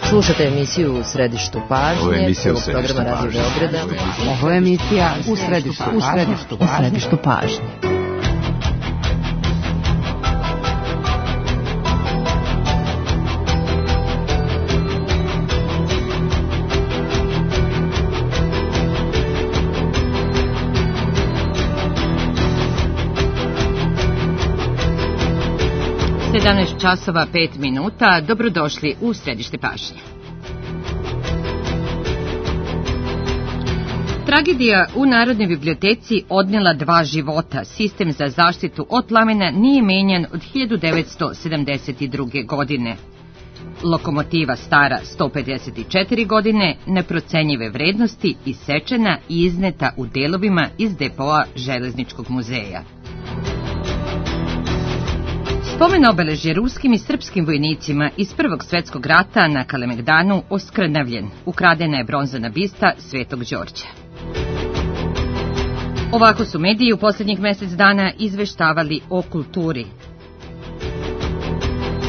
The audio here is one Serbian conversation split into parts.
Slušate emisiju U središtu pažnje, prvog programa Radio Beograda. Ovo je emisija U središtu pažnje. časova 5 minuta. Dobrodošli u središte pažnje. Tragedija u Narodnoj biblioteci odnela 2 života. Sistem za zaštitu od plamena nije menjan od 1972. godine. Lokomotiva stara 154 godine, neprocenjive vrednosti, isečena i izneta u delovima iz depoa Železničkog muzeja. Spomen obeležje ruskim i srpskim vojnicima iz Prvog svjetskog rata na Kalemegdanu oskrnavljen. Ukradena je bronzana bista Svetog Đorđa. Ovako su mediji u posljednjih mjesec dana izveštavali o kulturi.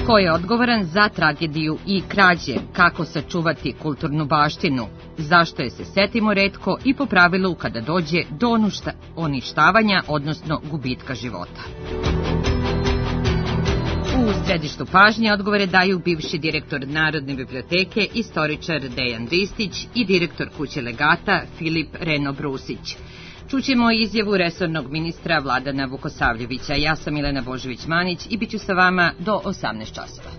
Ko je odgovoran za tragediju i krađe? Kako sačuvati kulturnu baštinu? Zašto je se setimo retko i po pravilu kada dođe do uništavanja, odnosno gubitka života? U središtu pažnje odgovore daju bivši direktor Narodne biblioteke, istoričar Dejan Ristić i direktor kuće legata Filip Reno Brusić. Čućemo izjavu resornog ministra Vladana Vukosavljevića. Ja sam Milena Božović-Manić i bit ću sa vama do 18 časova.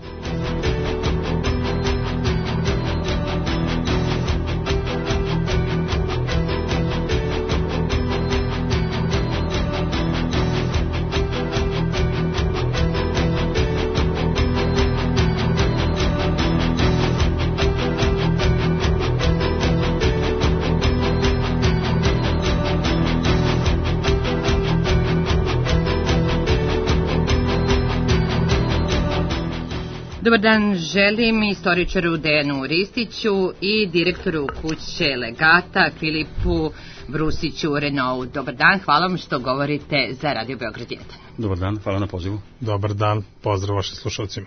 Dobar dan želim istoričaru Dejanu Ristiću i direktoru kuće legata Filipu Brusiću Renou. Dobar dan, hvala vam što govorite za Radio Beograd 1. Dobar dan, hvala na pozivu. Dobar dan, pozdrav vašim slušalcima.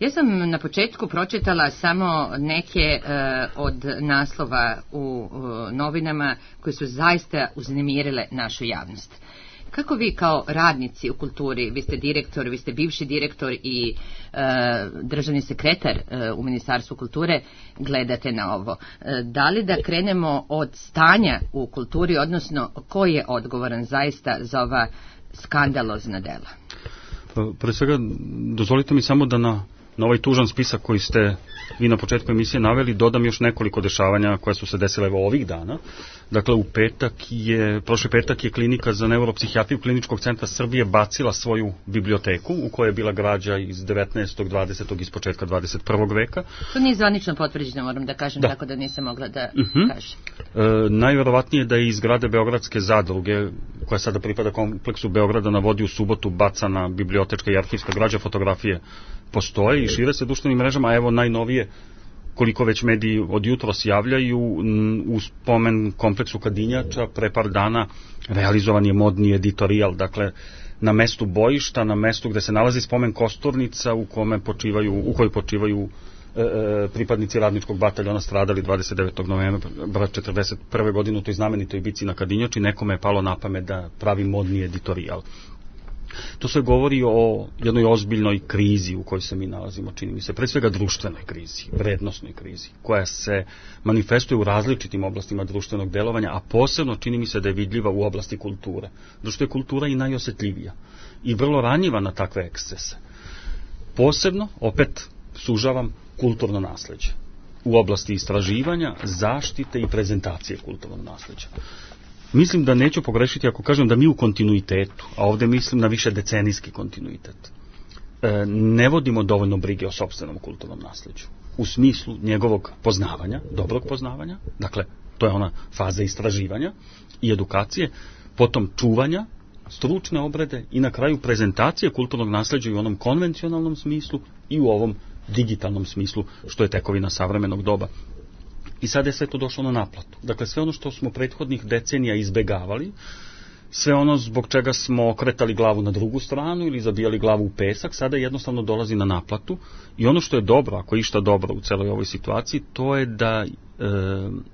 Ja sam na početku pročitala samo neke od naslova u novinama koje su zaista uznemirile našu javnost. Kako vi kao radnici u kulturi, vi ste direktor, vi ste bivši direktor i državni sekretar u Ministarstvu kulture, gledate na ovo? Da li da krenemo od stanja u kulturi, odnosno ko je odgovoran zaista za ova skandalozna dela? Pre svega, dozvolite mi samo da na ovaj tužan spisak koji ste vi na početku emisije naveli, dodam još nekoliko dešavanja koja su se desile ovih dana. Dakle, prošli petak je klinika za neuropsihijatriju Kliničkog centra Srbije bacila svoju biblioteku u kojoj je bila građa iz 19. 20. iz početka 21. veka. To nije zvanično potvrđeno, moram da kažem, tako da nisam mogla da kažem. Najverovatnije da je iz zgrade Beogradske zadruge, koja sada pripada kompleksu Beograda na vodi, u subotu bacana bibliotečka i arhivska građa, fotografije postoje i šire se društvenim mrežama, a evo najnovije, koliko već mediji od jutros javljaju, u spomen kompleksu Kadinjača pre par dana realizovan je modni editorijal, dakle na mestu bojišta, na mestu gde se nalazi spomen kosturnica u kojoj počivaju pripadnici radničkog bataljona stradali 29. novembra 1941. godine u toj znamenitoj bici na Kadinjači. Nekome je palo na pamet da pravi modni editorijal. To sve govori o jednoj ozbiljnoj krizi u kojoj se mi nalazimo, čini mi se, pre svega društvenoj krizi, vrednosnoj krizi, koja se manifestuje u različitim oblastima društvenog delovanja, a posebno čini mi se da je vidljiva u oblasti kulture. Zato što je kultura i najosjetljivija i vrlo ranjiva na takve ekscese. Posebno, opet sužavam, kulturno nasleđe u oblasti istraživanja, zaštite i prezentacije kulturnog nasleđa. Mislim da neću pogrešiti ako kažem da mi u kontinuitetu, a ovdje mislim na više decenijski kontinuitet, ne vodimo dovoljno brige o sopstvenom kulturnom nasleđu. U smislu njegovog poznavanja, dobrog poznavanja, dakle, to je ona faza istraživanja i edukacije, potom čuvanja, stručne obrede i na kraju prezentacije kulturnog nasleđa i u onom konvencionalnom smislu i u ovom digitalnom smislu, što je tekovina savremenog doba. I sad je sve to došlo na naplatu. Dakle, sve ono što smo prethodnih decenija izbegavali, sve ono zbog čega smo okretali glavu na drugu stranu ili zabijali glavu u pesak, sada jednostavno dolazi na naplatu. I ono što je dobro, ako je išta dobro u celoj ovoj situaciji, to je da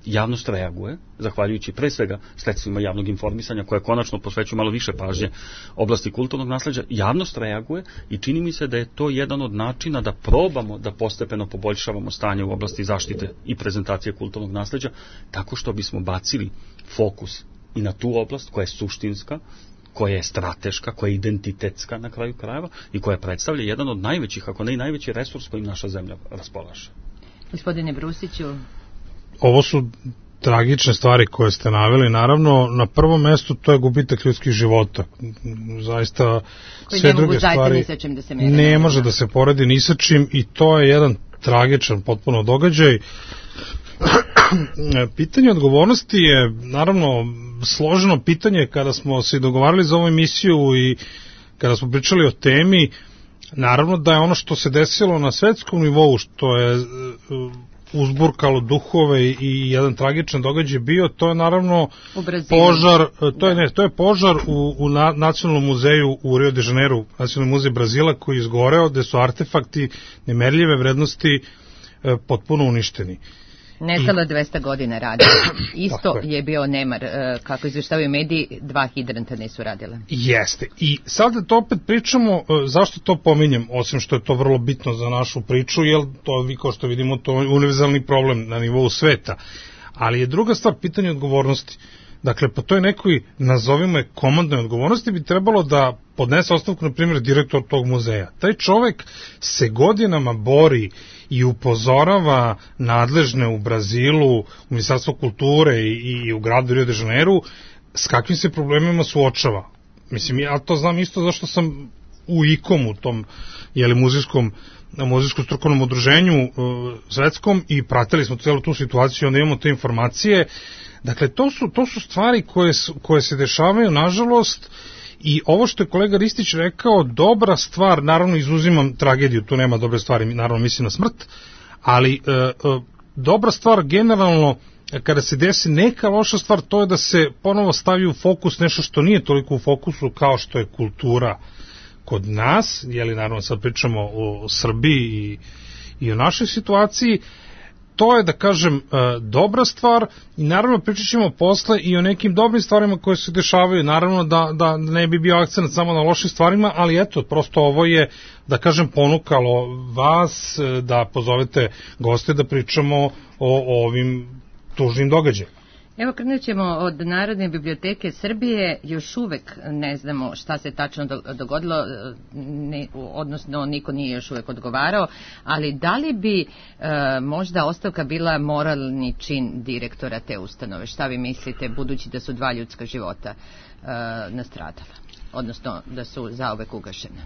javnost reaguje, zahvaljujući pre svega sredstvima javnog informisanja, koje konačno posvećuju malo više pažnje oblasti kulturnog nasleđa. Javnost reaguje i čini mi se da je to jedan od načina da probamo da postepeno poboljšavamo stanje u oblasti zaštite i prezentacije kulturnog nasleđa, tako što bismo bacili fokus i na tu oblast koja je suštinska, koja je strateška, koja je identitetska na kraju krajeva i koja predstavlja jedan od najvećih, ako ne i najveći resurs kojim naša zemlja raspolaže. Gospodine Brusiću. Ovo su tragične stvari koje ste naveli. Naravno, na prvom mestu to je gubitak ljudskih života. Zaista koji sve druge stvari ne može da se poredi ni sa čim i to je jedan tragičan potpuno događaj. Pitanje odgovornosti je naravno složeno pitanje. Kada smo se dogovarali za ovu emisiju i kada smo pričali o temi, naravno da je ono što se desilo na svetskom nivou, što je uzburkalo duhove i jedan tragičan događaj bio, to je naravno požar, to je požar u Nacionalnom muzeju u Rio de Janeiro, Nacionalni muzej Brazila, koji je izgoreo, gde su artefakti nemerljive vrednosti potpuno uništeni. Nestalo 200 godina rada. Isto je bio nemar, kako izveštavaju mediji, 2 hidranta nisu radile. Jeste. I sad to opet pričamo, zašto to pominjem, osim što je to vrlo bitno za našu priču, jer to, vi kao što vidimo, to je univerzalni problem na nivou sveta. Ali je druga stvar pitanje odgovornosti. Dakle, po toj nekoj, nazovimo je, komandnoj odgovornosti bi trebalo da podnese ostavku, na primjer, direktor tog muzeja. Taj čovek se godinama bori i upozorava nadležne u Brazilu, u Ministarstvu kulture i u gradu Rio de Janeiro, s kakvim se problemima suočava. Mislim, ja to znam isto zašto sam u ICOM-u, tom muzejskom strukovnom udruženju svetskom, i pratili smo celu tu situaciju, onda imamo te informacije. Dakle, to su stvari koje se dešavaju, nažalost, i ovo što je kolega Ristić rekao, dobra stvar, naravno izuzimam tragediju, tu nema dobre stvari, naravno mislim na smrt, ali dobra stvar generalno, kada se desi neka loša stvar, to je da se ponovo stavi u fokus nešto što nije toliko u fokusu kao što je kultura kod nas, naravno sad pričamo o Srbiji i o našoj situaciji. To je, da kažem, dobra stvar i naravno pričat ćemo posle i o nekim dobrim stvarima koje se dešavaju. Naravno da ne bi bio akcent samo na lošim stvarima, ali eto, prosto ovo je, da kažem, ponukalo vas da pozovete goste da pričamo o ovim tužnim događajima. Evo, krenut ćemo od Narodne biblioteke Srbije. Još uvek ne znamo šta se tačno dogodilo, odnosno niko nije još uvek odgovarao, ali da li bi možda ostavka bila moralni čin direktora te ustanove? Šta vi mislite, budući da su 2 ljudska života nastradala, odnosno da su zauvek ugašene?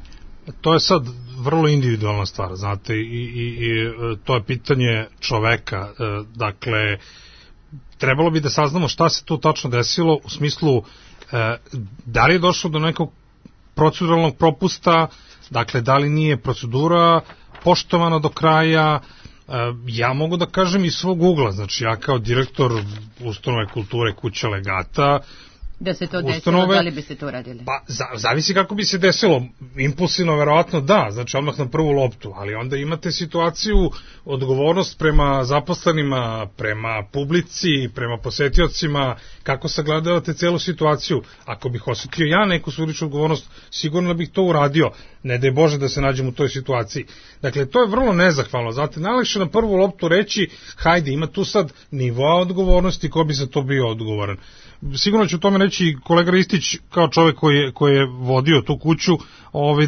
To je sad vrlo individualna stvar, znate, i to je pitanje čoveka. Dakle, trebalo bi da saznamo šta se tu tačno desilo, u smislu da li je došlo do nekog proceduralnog propusta, dakle da li nije procedura poštovana do kraja. Ja mogu da kažem iz svog ugla, znači ja kao direktor ustanove kulture Kuća legata, da se to desilo, da li bi se to radili? Pa, zavisi kako bi se desilo. Impulsivno, verovatno da, znači odmah na prvu loptu, ali onda imate situaciju, odgovornost prema zaposlenima, prema publici, prema posetiocima, kako sagledavate celu situaciju. Ako bih osetio ja neku suličnu odgovornost, sigurno bih to uradio. Ne daj Bože da se nađem u toj situaciji. Dakle, to je vrlo nezahvalno. Znate, najlakše na prvu loptu reći, hajde, ima tu sad nivoa odgovornosti, ko bi za to bio odgovoran. Sigurno će o tome reći kolega Ristić kao čovjek koji je vodio tu kuću,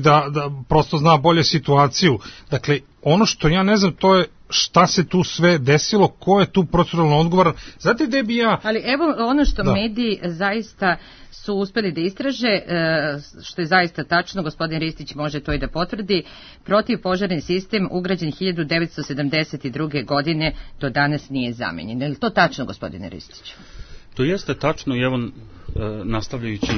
da prosto zna bolje situaciju. Dakle, ono što ja ne znam, to je šta se tu sve desilo, ko je tu proceduralno odgovoran. Znate gde bi ja... Ali evo ono što mediji zaista su uspeli da istraže, što je zaista tačno, gospodin Ristić može to i da potvrdi, protivpožarni sistem ugrađen 1972. godine do danas nije zamenjen. Je li to tačno, gospodine Ristiću? To jeste tačno i evo, nastavljajući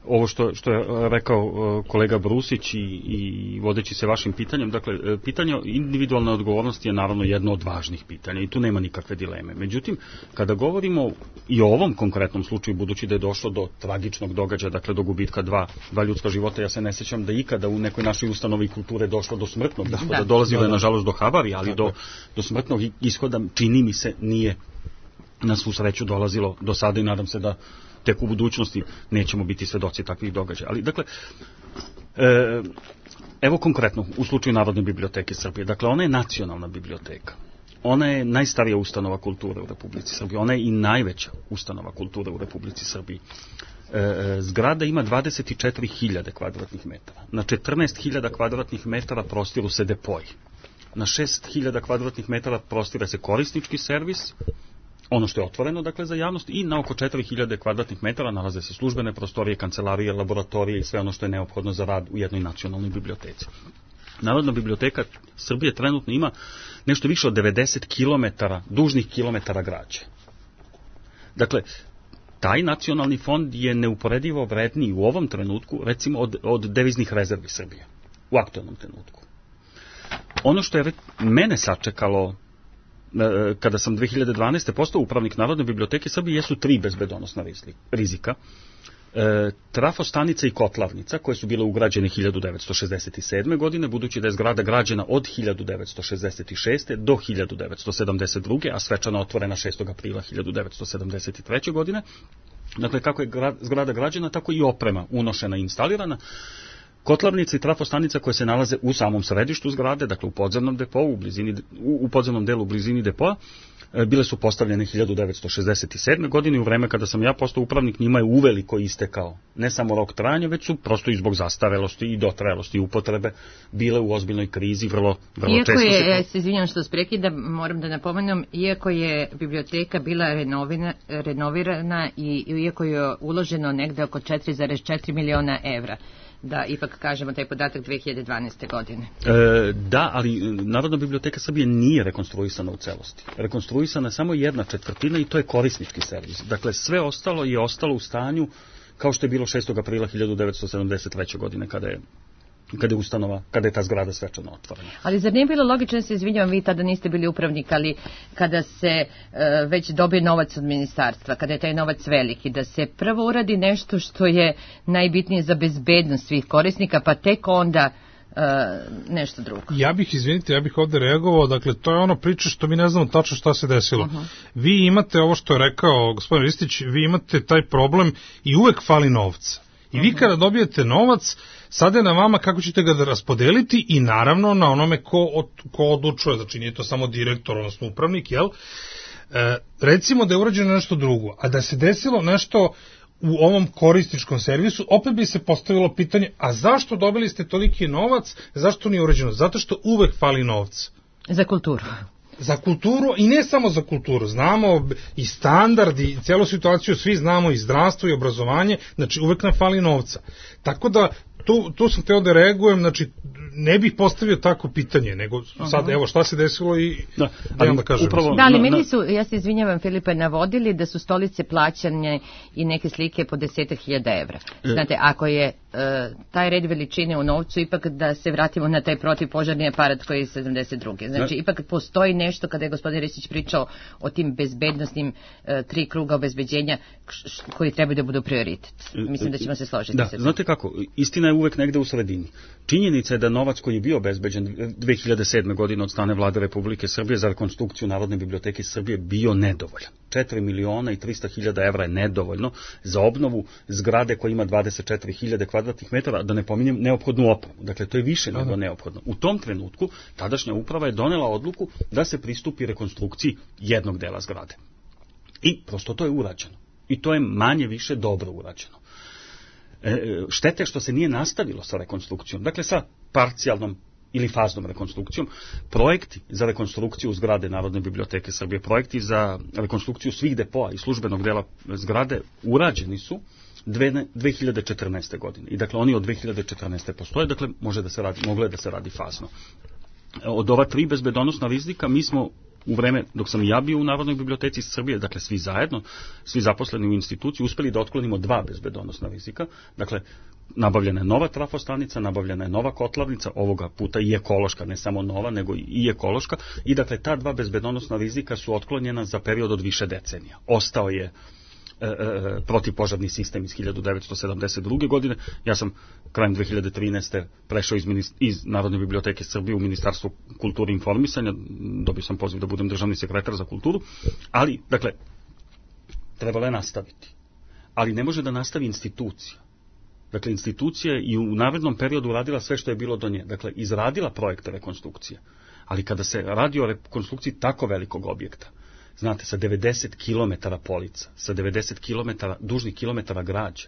ovo što je rekao kolega Brusić i vodeći se vašim pitanjem, dakle, pitanje individualne odgovornosti je naravno jedno od važnih pitanja i tu nema nikakve dileme. Međutim, kada govorimo i o ovom konkretnom slučaju, budući da je došlo do tragičnog događaja, dakle do gubitka dva ljudska života, ja se ne sjećam da ikada u nekoj našoj ustanovi kulture došlo do smrtnog ishoda, dolazilo je nažalost do havarija, ali do smrtnog ishoda čini mi se nije na svu sreću dolazilo do sada i nadam se da tek u budućnosti nećemo biti svedoci takvih događaja. Ali, dakle, evo konkretno, u slučaju Narodne biblioteke Srbije, dakle, ona je nacionalna biblioteka. Ona je najstarija ustanova kulture u Republici Srbiji. Ona je i najveća ustanova kulture u Republici Srbiji. Zgrada ima 24.000 kvadratnih metara. Na 14.000 kvadratnih metara prostiru se depoji. Na 6.000 kvadratnih metara prostire se korisnički servis, ono što je otvoreno, dakle, za javnost, i na oko 4.000 kvadratnih metara nalaze se službene prostorije, kancelarije, laboratorije i sve ono što je neophodno za rad u jednoj nacionalnoj biblioteci. Narodna biblioteka Srbije trenutno ima nešto više od 90 dužnih kilometara građe. Dakle, taj nacionalni fond je neuporedivo vredniji u ovom trenutku, recimo, od deviznih rezervi Srbije, u aktualnom trenutku. Ono što je mene sačekalo kada sam 2012. postao upravnik Narodne biblioteke Srbije jesu 3 bezbedonosna rizika. Trafostanica i kotlarnica, koje su bile ugrađene 1967. godine, budući da je zgrada građena od 1966. do 1972. a svečano otvorena 6. aprila 1973. godine. Dakle, kako je zgrada građena, tako i oprema unošena i instalirana. Kotlarnica i trafostanica koje se nalaze u samom središtu zgrade, dakle u podzemnom depou, u podzemnom delu u blizini depoa, bile su postavljene 1967. godine i u vreme kada sam ja postao upravnik njima je uveliko istekao ne samo rok trajanja, već su prosto i zbog zastarelosti i dotrajelosti upotrebe bile u ozbiljnoj krizi, vrlo često. Ja se izvinjam što prekidam, moram da napomenem, iako je biblioteka bila renovirana i iako je uloženo negde oko 4,4 miliona evra, da ipak kažemo taj podatak 2012. godine. Da, ali Narodna biblioteka Srbije nije rekonstruisana u celosti. Rekonstruisana je samo 1/4 i to je korisnički servis. Dakle, sve ostalo je ostalo u stanju kao što je bilo 6. aprila 1973. godine kada je ta zgrada svečano otvorena. Ali zar nije bilo logično, se izvinjavam, vi tada niste bili upravnik, ali kada se već dobije novac od ministarstva, kada je taj novac veliki, da se prvo uradi nešto što je najbitnije za bezbednost svih korisnika, pa tek onda nešto drugo. Ja bih ovde reagovao, dakle, to je ono priča što mi ne znamo tačno šta se desilo. Vi imate ovo što je rekao gospodin Ristić, vi imate taj problem i uvek fali novca. I vi kada dobijete novac, sada je na vama kako ćete ga da raspodeliti i naravno na onome ko odlučuje, znači nije to samo direktor, odnosno upravnik, jel? Recimo da je urađeno nešto drugo, a da se desilo nešto u ovom korisničkom servisu, opet bi se postavilo pitanje, a zašto dobili ste toliki novac, zašto nije urađeno? Zato što uvek fali novca. Za kulturu. Za kulturu i ne samo za kulturu, znamo i standard i cijelu situaciju, svi znamo i zdravstvo i obrazovanje, znači uvek nam fali novca. Tako da tu sam teo da reagujem, znači ne bih postavio tako pitanje, nego sad evo šta se desilo i da kažem. Da, ali meni su, ja se izvinjavam Filipe, navodili da su stolice plaćane i neke slike po 10.000 evra. Znate, ako je taj red veličine u novcu, ipak da se vratimo na taj protivpožarni aparat koji je 72. Znači, ipak postoji nešto, kada je gospodin Ristić pričao o tim bezbednostnim 3 kruga obezbeđenja koji trebaju da budu prioritet. Mislim da ćemo se složiti. Da, znate kako, istina je uvek negde u sredini. Činjenica je da novac koji je bio obezbeđen 2007. godine od strane Vlade Republike Srbije za rekonstrukciju Narodne biblioteke Srbije bio nedovoljan. 4.300.000 evra je nedovoljno za obnovu zgrade koja ima 24.000 kvadratnih metara, da ne pominjem neophodnu opremu. Dakle, to je više nego neophodno. U tom trenutku tadašnja uprava je donela odluku da se pristupi rekonstrukciji jednog dela zgrade. I prosto to je urađeno. I to je manje više dobro urađeno. Štete što se nije nastavilo sa rekonstrukcijom, dakle sa parcijalnom ili faznom rekonstrukcijom. Projekti za rekonstrukciju zgrade Narodne biblioteke Srbije, projekti za rekonstrukciju svih depoa i službenog dela zgrade urađeni su 2014. godine. I dakle oni od 2014. postoje, dakle moglo je da se radi fazno. Od ova 3 bezbedonosna rizika mi smo u vreme dok sam ja bio u Narodnoj biblioteci Srbije, dakle svi zajedno, svi zaposleni u instituciji, uspeli da otklonimo 2 bezbedonosna rizika. Dakle, nabavljena je nova trafostanica, nabavljena je nova kotlarnica, ovoga puta i ekološka, ne samo nova, nego i ekološka, i dakle ta 2 bezbedonosna rizika su otklonjena za period od više decenija. Ostao je protivpožarni sistem iz 1972. godine. Ja sam krajem 2013. prešao iz Narodne biblioteke Srbije u Ministarstvo kulture i informisanja, dobio sam poziv da budem državni sekretar za kulturu, ali, dakle, trebalo je nastaviti. Ali ne može da nastavi institucija. Dakle, institucija je i u narednom periodu radila sve što je bilo do nje. Dakle, izradila projekte rekonstrukcije. Ali kada se radi o rekonstrukciji tako velikog objekta, znate, sa 90 km polica, sa 90 km, dužnih kilometara građe,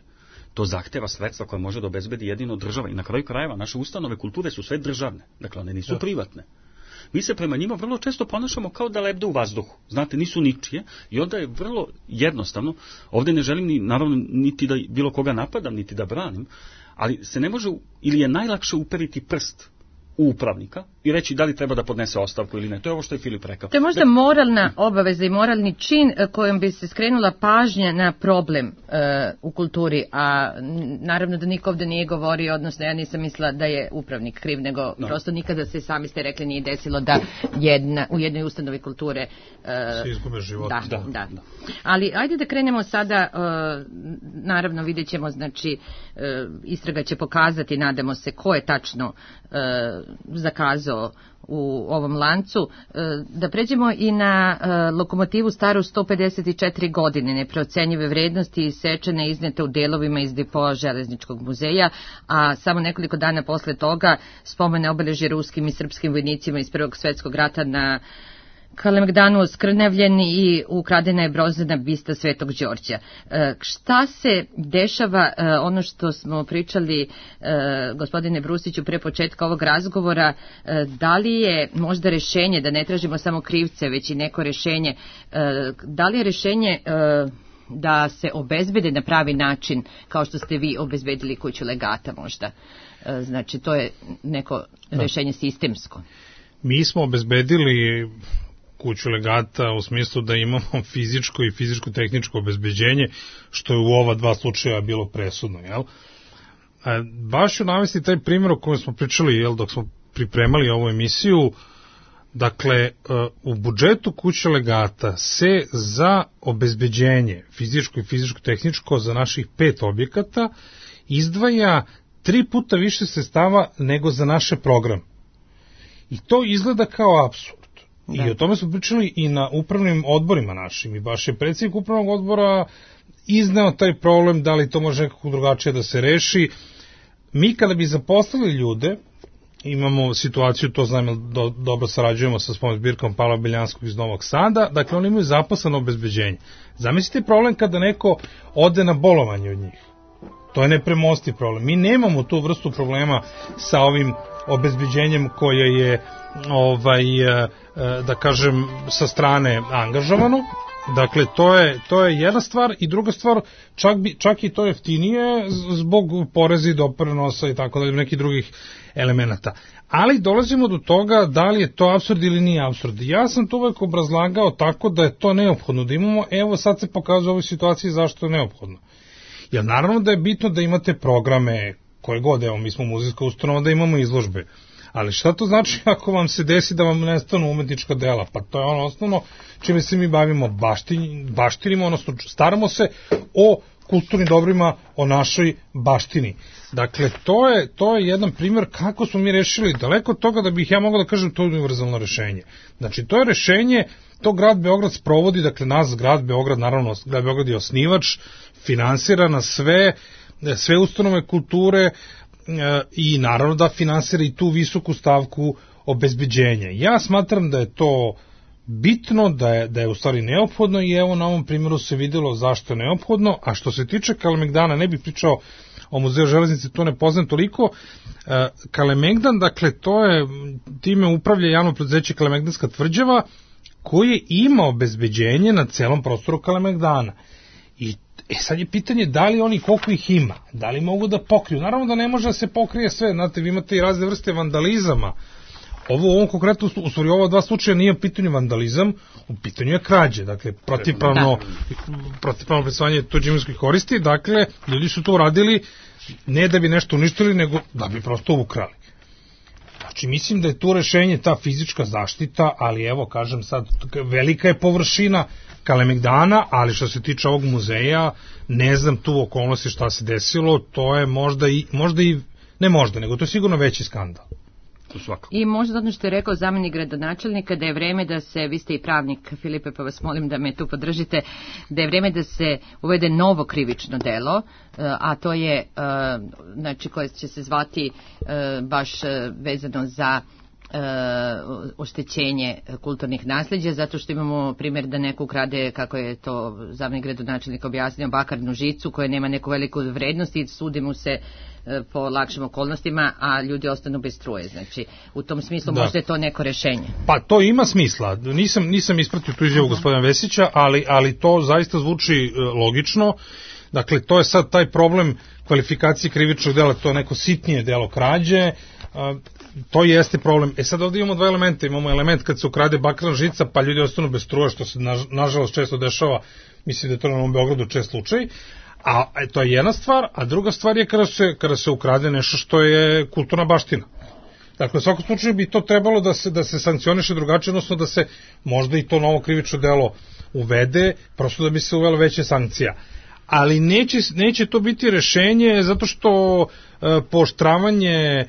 to zahteva sredstva koje može da obezbedi jedino država. I na kraju krajeva, naše ustanove kulture su sve državne, dakle, one nisu privatne. Mi se prema njima vrlo često ponašamo kao da lebde u vazduhu. Znate, nisu ničije i onda je vrlo jednostavno, ovdje ne želim naravno niti da bilo koga napadam, niti da branim, ali se ne može, ili je najlakše uperiti prst u upravnika i reći da li treba da podnese ostavku ili ne. To je ovo što je Filip rekao. To je možda moralna obaveza i moralni čin kojom bi se skrenula pažnja na problem u kulturi, a naravno da niko ovdje nije govorio, odnosno ja nisam mislila da je upravnik kriv, nego prosto nikada se, sami ste rekli, nije desilo da u jednoj ustanovi kulture se izgube život. Da. Ali ajde da krenemo sada, naravno vidjet ćemo, znači istraga će pokazati, nadamo se, ko je tačno zakazao u ovom lancu. Da pređemo i na lokomotivu staru 154 godine, neprocenjive vrednosti, isečene, iznete u delovima iz depoa Železničkog muzeja, a samo nekoliko dana posle toga spomene obeležje ruskim i srpskim vojnicima iz Prvog svjetskog rata na Kalemegdanu oskrnavljen i ukradena je bronzana bista Svetog Đorđa. Šta se dešava, ono što smo pričali, gospodine Brusiću, pre početka ovog razgovora, da li je možda rešenje, da ne tražimo samo krivce, već i neko rešenje, da li je rešenje da se obezbede na pravi način, kao što ste vi obezbedili kuću legata možda? Znači, to je neko rešenje sistemsko. Mi smo obezbedili kuću legata u smislu da imamo fizičko i fizičko-tehničko obezbeđenje, što je u ova 2 slučaja bilo presudno, jel? Baš ću navesti taj primjer o kojem smo pričali, jel, dok smo pripremali ovu emisiju. Dakle, u budžetu kuće legata se za obezbeđenje fizičko i fizičko-tehničko za naših 5 objekata izdvaja 3 puta više sredstava nego za naše programe. I to izgleda kao apsurd. I o tome smo pričali i na upravnim odborima našim. I baš je predsjednik upravnog odbora izneo taj problem, da li to može nekako drugačije da se reši. Mi kada bi zaposlili ljude, imamo situaciju, to znam, dobro sarađujemo sa spomen zbirkom Pavla Beljanskog iz Novog Sada, dakle oni imaju zaposleno obezbeđenje. Zamislite problem kada neko ode na bolovanje od njih. To je nepremostiv problem. Mi nemamo tu vrstu problema sa ovim obezbeđenjem koje je da kažem sa strane angažovano. Dakle, to je jedna stvar, i druga stvar, čak i to jeftinije zbog poreza i doprinosa i tako dalje, nekih drugih elemenata. Ali dolazimo do toga da li je to apsurd ili nije apsurd. Ja sam to uvek obrazlagao tako da je to neophodno da imamo. Evo sad se pokazuje u ovoj situaciji zašto je neophodno. Jer naravno da je bitno da imate programe koje god, evo mi smo muzejska ustanova, da imamo izložbe. Ali šta to znači ako vam se desi da vam nestanu umetnička dela? Pa to je ono osnovno čime se mi bavimo, baštinimo, odnosno staramo se o kulturnim dobrima, o našoj baštini. Dakle, to je jedan primjer kako smo mi rešili, daleko od toga da bih ja mogao da kažem to je univerzalno rešenje. Znači, to je rešenje, to grad Beograd sprovodi, dakle, nas grad Beograd, naravno, grad Beograd je osnivač, finansira na sve ustanove kulture, i naravno da finansira i tu visoku stavku obezbeđenja. Ja smatram da je to bitno, da je u stvari neophodno, i evo na ovom primjeru se vidjelo zašto je neophodno. A što se tiče Kalemegdana, ne bih pričao o muzeju železnice, to ne poznam toliko. Kalemegdan, dakle, time upravlja javno preduzeće Kalemegdanska tvrđava, koje ima obezbeđenje na celom prostoru Kalemegdana. I sad je pitanje da li oni, koliko ih ima, da li mogu da pokriju. Naravno da ne može da se pokrije sve, znate, vi imate i razne vrste vandalizama Ovo u ovom konkretno, u stvari ova dva slučaja nije u pitanju vandalizam, u pitanju je krađe, dakle protivpravno prisvajanje tuđe imovinske koristi, dakle ljudi su to uradili ne da bi nešto uništili, nego da bi prosto ukrali. Znači, mislim da je tu rešenje ta fizička zaštita, ali evo, kažem sad, velika je površina Kalemegdana, ali što se tiče ovog muzeja, ne znam tu okolnosti šta se desilo, to je nego to je sigurno veći skandal. I možda ono što je rekao zamjenik gradonačelnika, da je vreme da se, vi ste i pravnik Filipe, pa vas molim da me tu podržite, da je vreme da se uvede novo krivično delo, a to je, znači, koje će se zvati baš vezano za oštećenje kulturnih nasljeđa, zato što imamo primjer da neko ukrade, kako je to zamjenik gradonačelnika objasnio, bakarnu žicu koja nema neku veliku vrednost i sudi mu se po lakšim okolnostima, a ljudi ostanu bez struje. Znači, u tom smislu možda je to neko rešenje. Pa to ima smisla. Nisam ispratio tu izjavu gospodina Vesića, ali to zaista zvuči logično. Dakle, to je sad taj problem kvalifikacije krivičnog dela, to je neko sitnije delo krađe, to jeste problem. Sad ovdje imamo dva elementa. Imamo element kad se ukrade bakarna žica, pa ljudi ostanu bez struje, što se nažalost često dešava, mislim da je to na Novom Beogradu čest slučaj. A to je jedna stvar, a druga stvar je kada se ukrade nešto što je kulturna baština. Dakle, u svakom slučaju bi to trebalo da se sankcioniše drugačije, odnosno da se možda i to novo krivično delo uvede, prosto da bi se uvelo veće sankcija. Ali neće to biti rešenje, zato što pooštravanje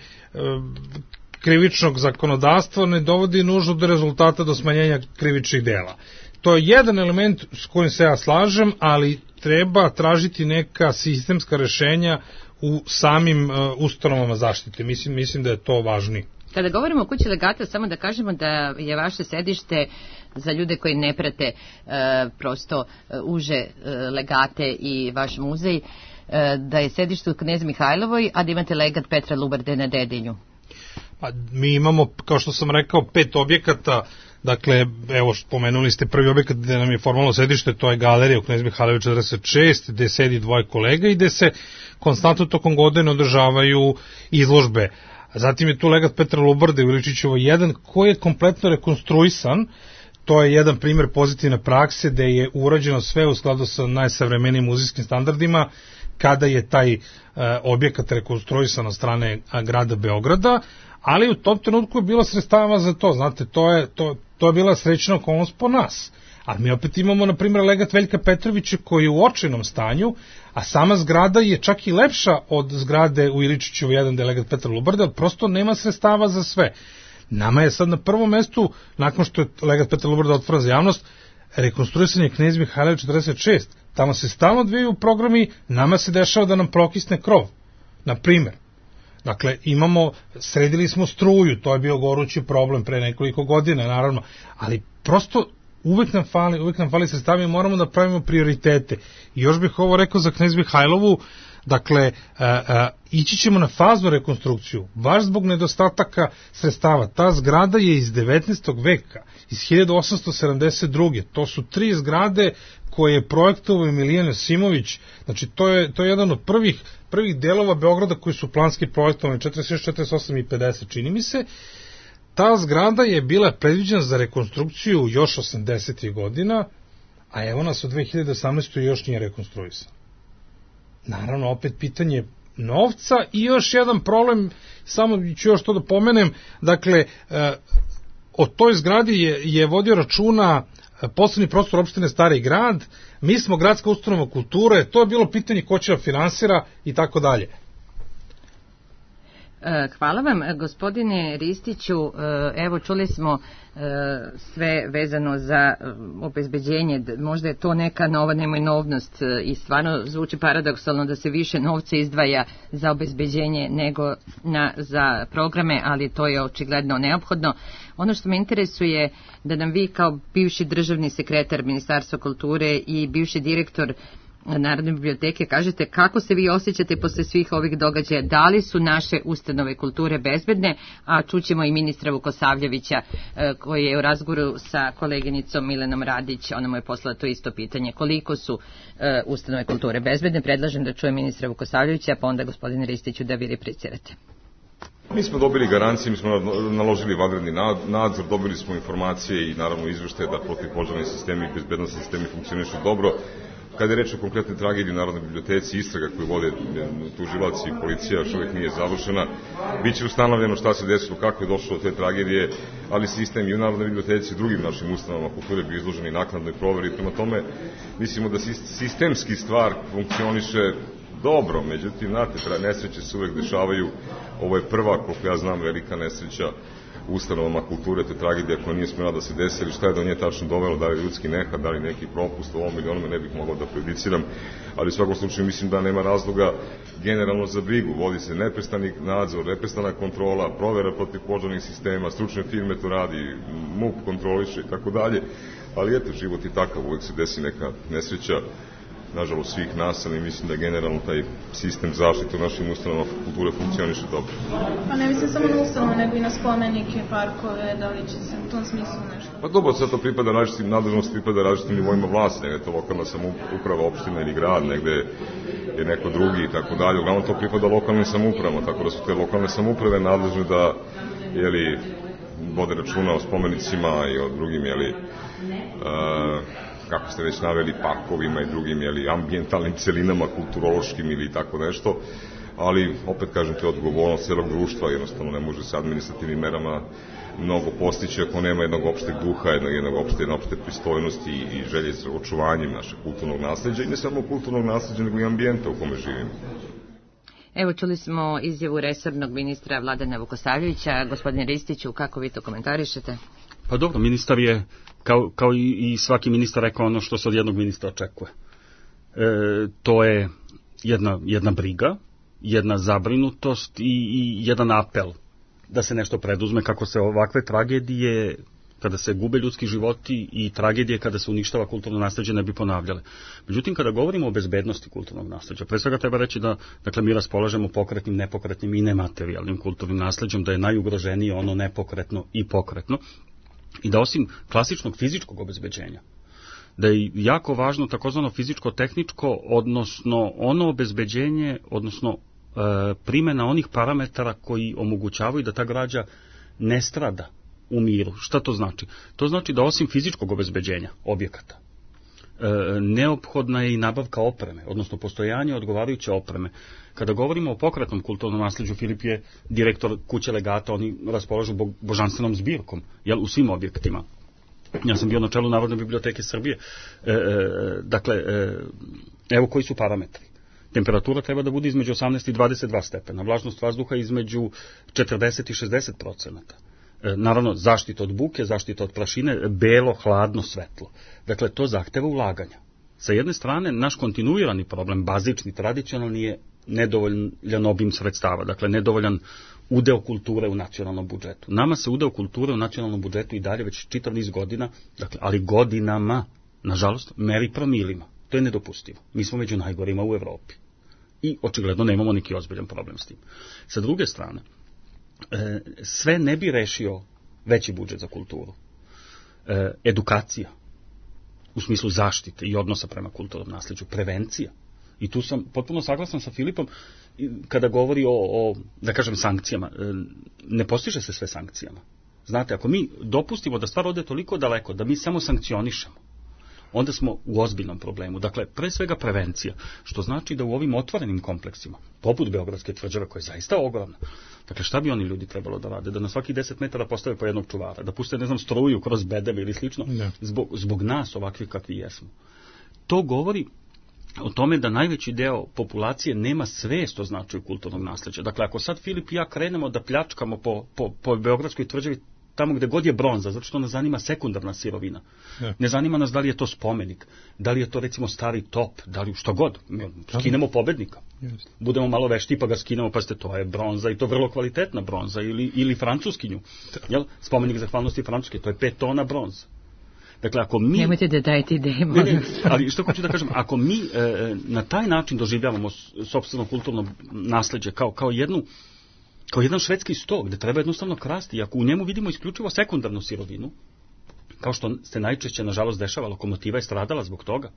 krivičnog zakonodavstva ne dovodi nužno do rezultata do smanjenja krivičnih dela. To je jedan element s kojim se ja slažem, ali treba tražiti neka sistemska rešenja u samim ustanovama zaštite. Mislim da je to važnije. Kada govorimo o kući legata, samo da kažemo da je vaše sedište, za ljude koji ne prate prosto uže legate i vaš muzej, da je sedište u Knez Mihajlovoj, a da imate legat Petra Lubarde na Dedinju. Pa, mi imamo, kao što sam rekao, 5 objekata. Dakle, evo, spomenuli ste prvi objekat gde nam je formalno sedište, to je galerija u Knez Mihajlovoj 46, gde sedi 2 kolega i gde se konstantno tokom godine održavaju izložbe. Zatim je tu legat Petra Lubarde u Iličićevoj 1, koji je kompletno rekonstruisan. To je jedan primjer pozitivne prakse, gde je urađeno sve u skladu sa najsavremenijim muzejskim standardima, kada je taj objekat rekonstruisan od strane grada Beograda, ali u tom trenutku je bilo sredstava za to, znate, to je bila srećna okolnost po nas. Ali mi opet imamo, na primjer, legat Veljka Petrovića koji je u očajnom stanju, a sama zgrada je čak i lepša od zgrade u Iličićevu 1 gde je legat Petra Lubarde, ali prosto nema sredstava za sve. Nama je sad na prvom mestu, nakon što je legat Petra Lubarde otvoren za javnost, rekonstruisan je Knez Mihajlov 46. Tamo se stalno odvijaju programi, nama se dešava da nam prokisne krov, na primjer. Dakle, sredili smo struju, to je bio gorući problem pre nekoliko godina, naravno, ali prosto uvek nam fali sredstava i moramo da pravimo prioritete. I još bih ovo rekao za Knez Mihajlovu, dakle, ići ćemo na faznu rekonstrukciju, baš zbog nedostataka sredstava. Ta zgrada je iz 19. veka, iz 1872. To su 3 zgrade koje je projektovao Milijan Jasimović. Znači, to je jedan od prvih delova Beograda koji su planski projektovani, 46, 48 i 50, čini mi se. Ta zgrada je bila predviđena za rekonstrukciju još 80. godina, a evo nas u 2018. još nije rekonstruisan. Naravno, opet pitanje novca i još jedan problem, samo ću još to da pomenem, dakle, o toj zgradi je vodio računa poslovni prostor opštine Stari Grad, mi smo gradska ustanova kulture, to je bilo pitanje ko će da finansira i tako dalje. Hvala vam, gospodine Ristiću. Evo, čuli smo sve vezano za obezbeđenje, možda je to neka nova nemojnovnost i stvarno zvuči paradoksalno da se više novca izdvaja za obezbeđenje nego za programe, ali to je očigledno neophodno. Ono što me interesuje da nam vi kao bivši državni sekretar Ministarstva kulture i bivši direktor Narodne biblioteke kažete kako se vi osjećate posle svih ovih događaja, da li su naše ustanove kulture bezbedne, a čućemo i ministra Vukosavljevića koji je u razgovoru sa koleginicom Milenom Radić, ona mu je poslala to isto pitanje, koliko su ustanove kulture bezbedne. Predlažem da čuje ministra Vukosavljevića, pa onda gospodine Ristiću da vi replicirate. Mi smo dobili garancije, mi smo naložili vanredni nadzor, dobili smo informacije i naravno izveštaje da protivpožarni sistemi i bezbednosni sistemi funkcionišu dobro. Kada je reč o konkretnoj tragediji u Narodnoj biblioteci, istraga koju vode tužilaci i policija još uvijek nije završena, biće ustanovljeno šta se desilo, kako je došlo do te tragedije, ali sistem i u Narodnoj biblioteci i drugim našim ustanovama kulture bi izloženi naknadnoj proveri. Prema tome, mislimo da sistemski stvar funkcioniše dobro, međutim, znate, nesreće se uvek dešavaju. Ovo je prva, koliko ja znam, velika nesreća u ustanovama kulture, to je tragedija koja nije smjela da se desi, ili šta je do nje tačno dovelo, da li ljudski nehat, da li neki propust u ovom ili onome, ne bih mogao da prejudiciram, ali u svakom slučaju mislim da nema razloga generalno za brigu. Vodi se neprestani nadzor, neprestana kontrola, provera protivpožarnih sistema, stručne firme to radi, MUP kontroliše i tako dalje, ali eto, život je takav, uvek se desi neka nesreća, nažalost svih nas, ali mislim da generalno taj sistem zaštite u našim ustanovama kulture funkcioniše dobro. Pa ne mislim samo na ustanove, nego i na spomenike, parkove, da li će se u tom smislu nešto? Pa dobro, sad to pripada različitim nadležnosti, pripada različitim nivoima vlasti, negde je to lokalna samouprava, opština ili grad, negde je neko drugi i tako dalje. Uglavnom to pripada lokalnim samoupravama, tako da su te lokalne samouprave nadležne da, vode računa o spomenicima i o drugim, kako ste već naveli, parkovima i drugim, ambijentalnim celinama, kulturološkim ili tako nešto, ali, opet kažem, to je odgovornost celog društva, jednostavno ne može se administrativnim merama mnogo postići ako nema jednog opšteg duha, jedne opšte pristojnosti i želje za očuvanjem našeg kulturnog nasleđa, i ne samo kulturnog nasleđa, nego i ambijenta u kome živimo. Evo, čuli smo izjavu resornog ministra Vladana Vukosavljevića. Gospodine Ristiću, kako vi to komentarišete? Pa dobro, ministar je, kao i svaki ministar, rekao ono što se od jednog ministra očekuje. To je jedna briga, jedna zabrinutost i jedan apel da se nešto preduzme kako se ovakve tragedije, kada se gube ljudski životi, i tragedije kada se uništava kulturno nasleđe, ne bi ponavljale. Međutim, kada govorimo o bezbednosti kulturnog nasleđa, pre svega treba reći da, dakle, mi raspolažemo pokretnim, nepokretnim i nematerijalnim kulturnim nasleđem, da je najugroženije ono nepokretno i pokretno, i da osim klasičnog fizičkog obezbeđenja, da je jako važno takozvano fizičko-tehničko, odnosno ono obezbeđenje, odnosno primjena onih parametara koji omogućavaju da ta građa ne strada u miru. Šta to znači? To znači da osim fizičkog obezbeđenja objekata, neophodna je i nabavka opreme, odnosno postojanje odgovarajuće opreme. Kada govorimo o pokretnom kulturnom nasleđu, Filip je direktor kuće legata, oni raspolažu božanstvenom zbirkom, u svim objektima. Ja sam bio na čelu Narodne biblioteke Srbije. Dakle, evo koji su parametri. Temperatura treba da bude između 18 i 22 stepena, vlažnost vazduha između 40 i 60%. Naravno, zaštita od buke, zaštita od prašine, belo, hladno, svetlo. Dakle, to zahteva ulaganja. Sa jedne strane, naš kontinuirani problem, bazični, tradicionalni, je nedovoljan obim sredstava, dakle, nedovoljan udeo kulture u nacionalnom budžetu. Nama se udeo kulture u nacionalnom budžetu i dalje već čitav niz godina, dakle, ali godinama, nažalost, meri promilima. To je nedopustivo. Mi smo među najgorima u Evropi. I očigledno nemamo neki ozbiljan problem s tim. Sa druge strane, sve ne bi rešio veći budžet za kulturu. Edukacija, u smislu zaštite i odnosa prema kulturnom nasleđu, prevencija. I tu sam potpuno saglasan sa Filipom kada govori o, da kažem, sankcijama. Ne postiže se sve sankcijama. Znate, ako mi dopustimo da stvar ode toliko daleko, da mi samo sankcionišemo, onda smo u ozbiljnom problemu. Dakle, pre svega prevencija, što znači da u ovim otvorenim kompleksima, poput Beogradske tvrđave, koja je zaista ogromna, dakle, šta bi oni ljudi trebalo da rade? Da na svaki 10 metara postave po jednog čuvara, da puste, struju kroz bedeme ili slično, zbog nas ovakvi kakvi jesmo. To govori o tome da najveći deo populacije nema svest o značaju kulturnog nasleđa. Dakle, ako sad Filip i ja krenemo da pljačkamo po Beogradskoj tvrđavi tamo gde god je bronza, zato što nas zanima sekundarna sirovina. Ne zanima nas da li je to spomenik, da li je to, recimo, stari top, da li što god. Skinemo pobednika. Budemo malo vešti pa ga skinemo, pa to je bronza, i to vrlo kvalitetna bronza, ili francuskinju. Spomenik zahvalnosti Francuske, to je 5 tona bronza. Dakle, ako mi... Nemojte da dajete ideje, molim. Ali što hoću da kažem, ako mi na taj način doživljavamo sopstveno kulturno nasleđe kao jedan švedski sto, gde treba jednostavno krasti, i ako u njemu vidimo isključivo sekundarnu sirovinu, kao što se najčešće, nažalost, dešava, lokomotiva je stradala zbog toga.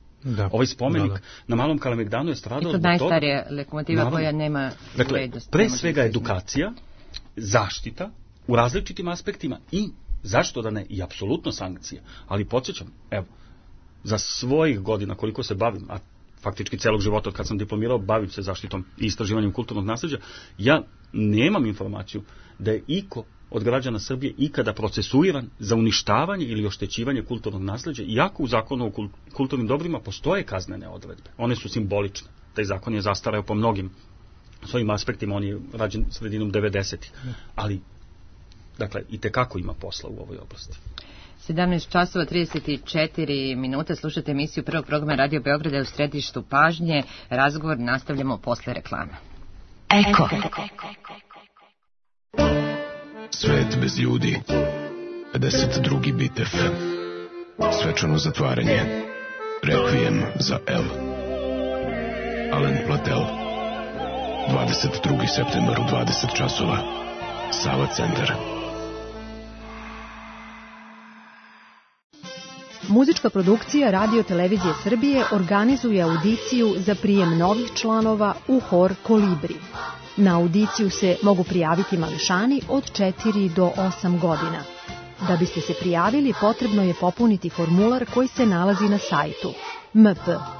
Ovaj spomenik na Malom Kalemegdanu je stradala zbog toga. I to najstarija lokomotiva koja nema vrednost. Dakle, pre svega edukacija, zaštita u različitim aspektima i, zašto da ne, i apsolutno sankcija. Ali podsjećam, evo, za svojih godina koliko se bavim, a faktički celog života od kad sam diplomirao, bavim se zaštitom i istraživanjem kulturnog nasleđa, ja nemam informaciju da je iko od građana Srbije ikada procesuiran za uništavanje ili oštećivanje kulturnog nasleđa, iako u zakonu o kulturnim dobrima postoje kaznene odredbe. One su simbolične. Taj zakon je zastareo po mnogim svojim aspektima, on je rađen sredinom 90-ih. Ali, dakle, i tekako ima posla u ovoj oblasti. 17 časova 34 minuta, slušate emisiju prvog programa Radio Beograda u središtu pažnje. Razgovor nastavljamo posle reklama. Eko. Svet bez ljudi. 52. bitev. Svečano zatvaranje. Rekvijem za El. Alen Platel. 22. septembar u 20 časova. Sava centar. Muzička produkcija Radio Televizije Srbije organizuje audiciju za prijem novih članova u hor Kolibri. Na audiciju se mogu prijaviti mališani od 4 do 8 godina. Da biste se prijavili, potrebno je popuniti formular koji se nalazi na sajtu mp.rts.rs.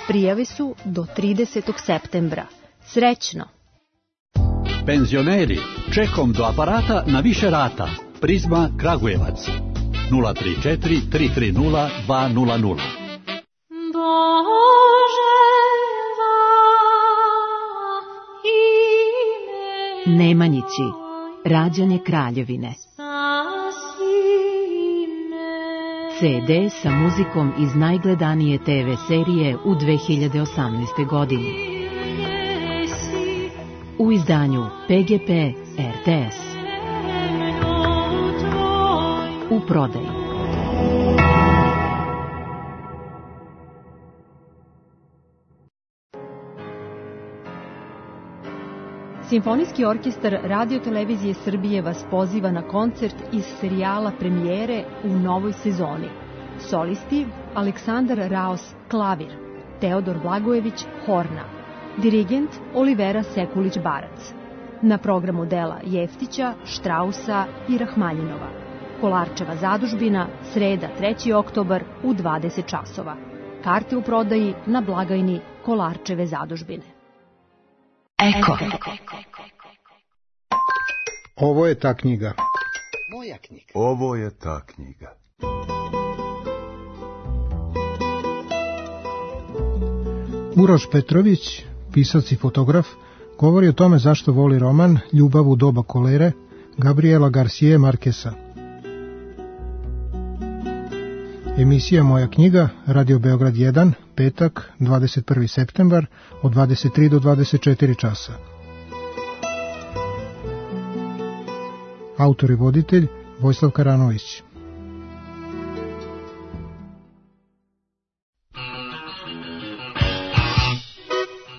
Prijave su do 30. septembra. Srećno! Penzioneri, čekom do aparata na više rata. Prizma Kragujevac 034 330 200. Nemanjići, rađanje Kraljevine. CD sa muzikom iz najgledanije TV serije u 2018. godini. U izdanju PGP RTS. U prodaju. Simfonijski orkestar Radio Televizije Srbije vas poziva na koncert iz serijala Premijere u novoj sezoni. Solisti Aleksandar Raos klavir, Teodor Blagojević horna, dirigent Olivera Sekulić-Barac. Na programu dela Jeftića, Štrausa i Rahmanjinova. Kolarčeva zadužbina, sreda 3. oktobar u 20 časova. Karte u prodaji na blagajni Kolarčeve zadužbine. Eko. Ovo je ta knjiga. Moja knjiga. Ovo je ta knjiga. Uroš Petrović, pisac i fotograf, govori o tome zašto voli roman Ljubav u doba kolere Gabriela Garcije Markesa. Emisija Moja knjiga, Radio Beograd 1, petak, 21. septembar, od 23 do 24 časa. Autor i voditelj Vojislav Karanović.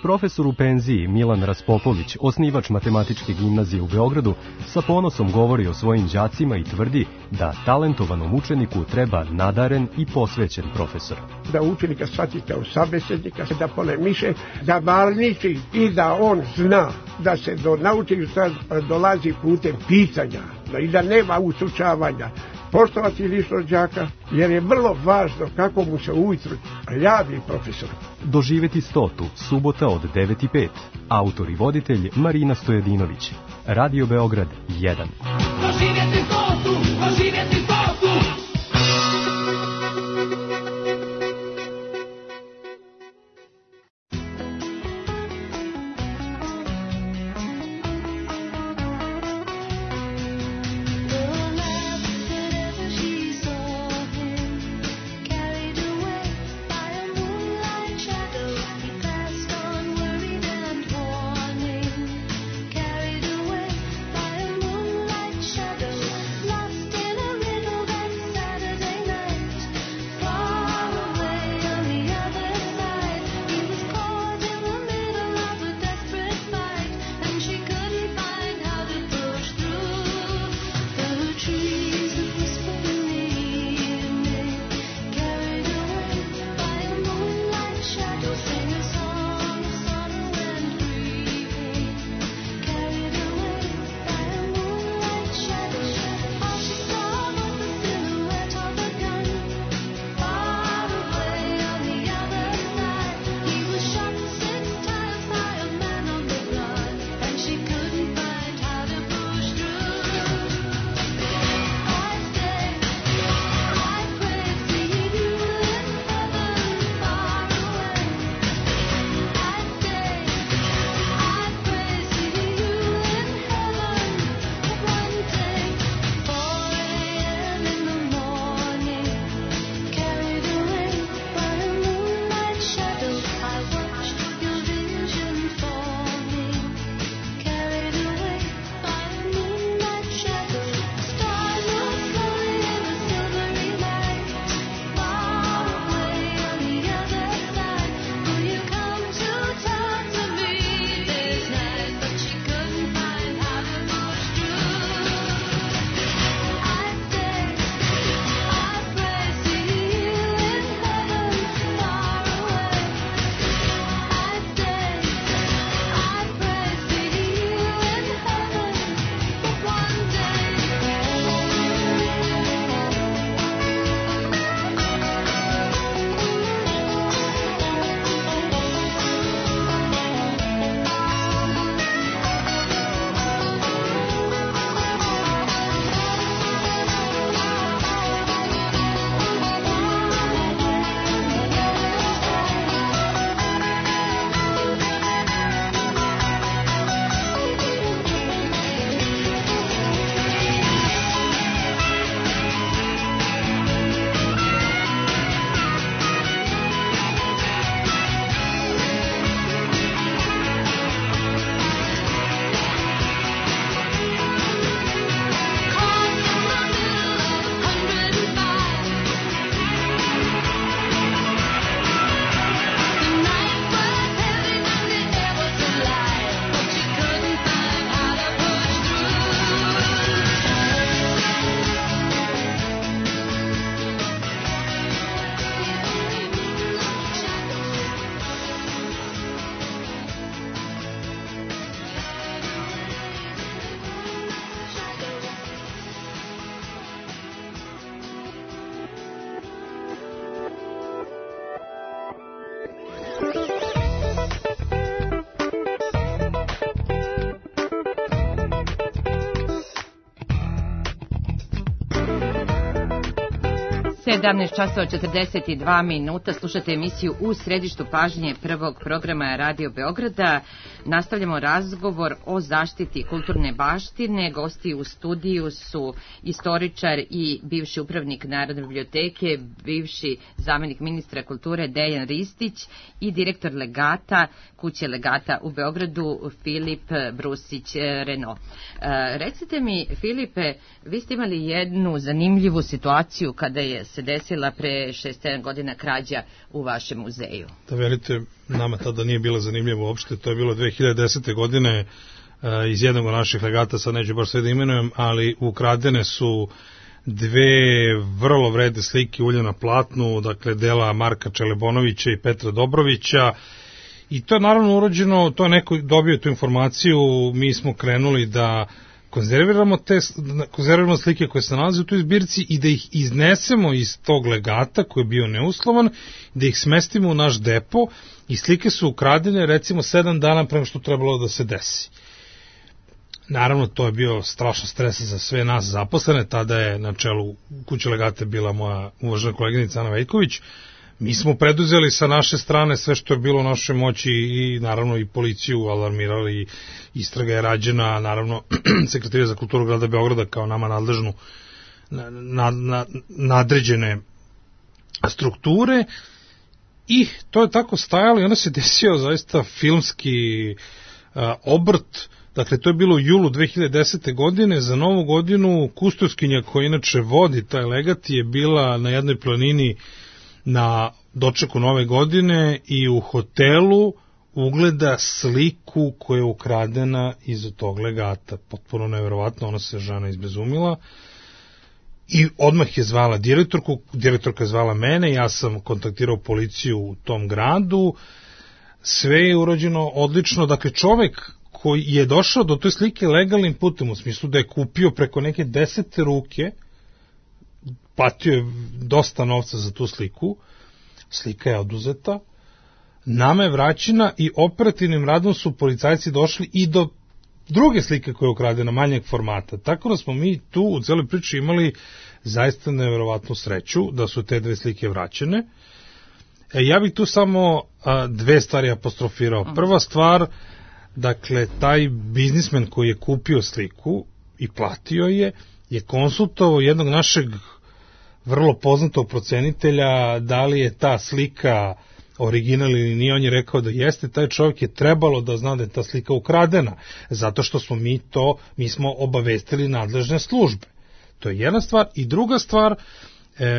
Profesor u penziji Milan Raspopović, osnivač Matematičke gimnazije u Beogradu, sa ponosom govori o svojim đacima i tvrdi da talentovanom učeniku treba nadaren i posvećen profesor. Da učenika shvatite u sabesednika, da polemiše, da varniči i da on zna da se do naučnika dolazi putem pitanja i da nema ustručavanja. Poštovati ličnost đaka, jer je vrlo važno kako mu se ujutru javi profesor. Doživeti 100. subota od 9:05. Autor i voditelj Marina Stojadinović. Radio Beograd 1. Doživeti 100. Doživeti 100. 17 časova 42 minuta, slušate emisiju U središtu pažnje prvog programa Radio Beograda. Nastavljamo razgovor o zaštiti kulturne baštine. Gosti u studiju su istoričar i bivši upravnik Narodne biblioteke, bivši zamenik ministra kulture Dejan Ristić i direktor legata, kuće legata u Beogradu, Filip Brusić-Reno. Recite mi, Filipe, vi ste imali jednu zanimljivu situaciju kada je se desila pre 6-7 godina krađa u vašem muzeju. Da verite, nama tada nije bila zanimljiva uopšte, to je bilo 2010. godine iz jednog od naših legata, sad neću baš sve da imenujem, ali ukradene su dve vrlo vredne slike ulja na platnu, dakle dela Marka Čelebonovića i Petra Dobrovića, i to je naravno urađeno, to je neko dobio tu informaciju, mi smo krenuli da konzerviramo slike koje se nalaze u toj zbirci i da ih iznesemo iz tog legata koji je bio neuslovan, da ih smestimo u naš depo, i slike su ukradene recimo 7 dana prema što trebalo da se desi. Naravno, to je bio strašan stres za sve nas zaposlene, tada je na čelu kuće legate bila moja uvažena koleginica Ana Vejković. Mi smo preduzeli sa naše strane sve što je bilo u našoj moći i naravno i policiju alarmirali, istraga je rađena, naravno Sekretarija za kulturu grada Beograda kao nama nadležnu nadređene strukture, i to je tako stajalo i onda se desio zaista filmski obrt. Dakle, to je bilo u julu 2010. godine, za Novu godinu kustoskinja koja inače vodi taj legat je bila na jednoj planini na dočeku Nove godine i u hotelu ugleda sliku koja je ukradena iz tog legata. Potpuno nevjerovatno, ona se žena izbezumila i odmah je zvala direktorku, direktorka je zvala mene, ja sam kontaktirao policiju u tom gradu, sve je urađeno odlično. Dakle, čovek koji je došao do toj slike legalnim putem, u smislu da je kupio preko neke 10 ruke, platio je dosta novca za tu sliku, slika je oduzeta, nama je vraćena i operativnim radom su policajci došli i do druge slike koja je ukradena, manjeg formata. Tako da smo mi tu u celoj priči imali zaista nevjerovatnu sreću da su te dve slike vraćene. Ja bih tu samo dve stvari apostrofirao. Prva stvar, dakle, taj biznismen koji je kupio sliku i platio je konsultovao jednog našeg vrlo poznatog procenitelja da li je ta slika original ili nije. On je rekao da jeste, taj čovjek je trebalo da zna da je ta slika ukradena, zato što smo mi smo obavestili nadležne službe. To je jedna stvar. I druga stvar,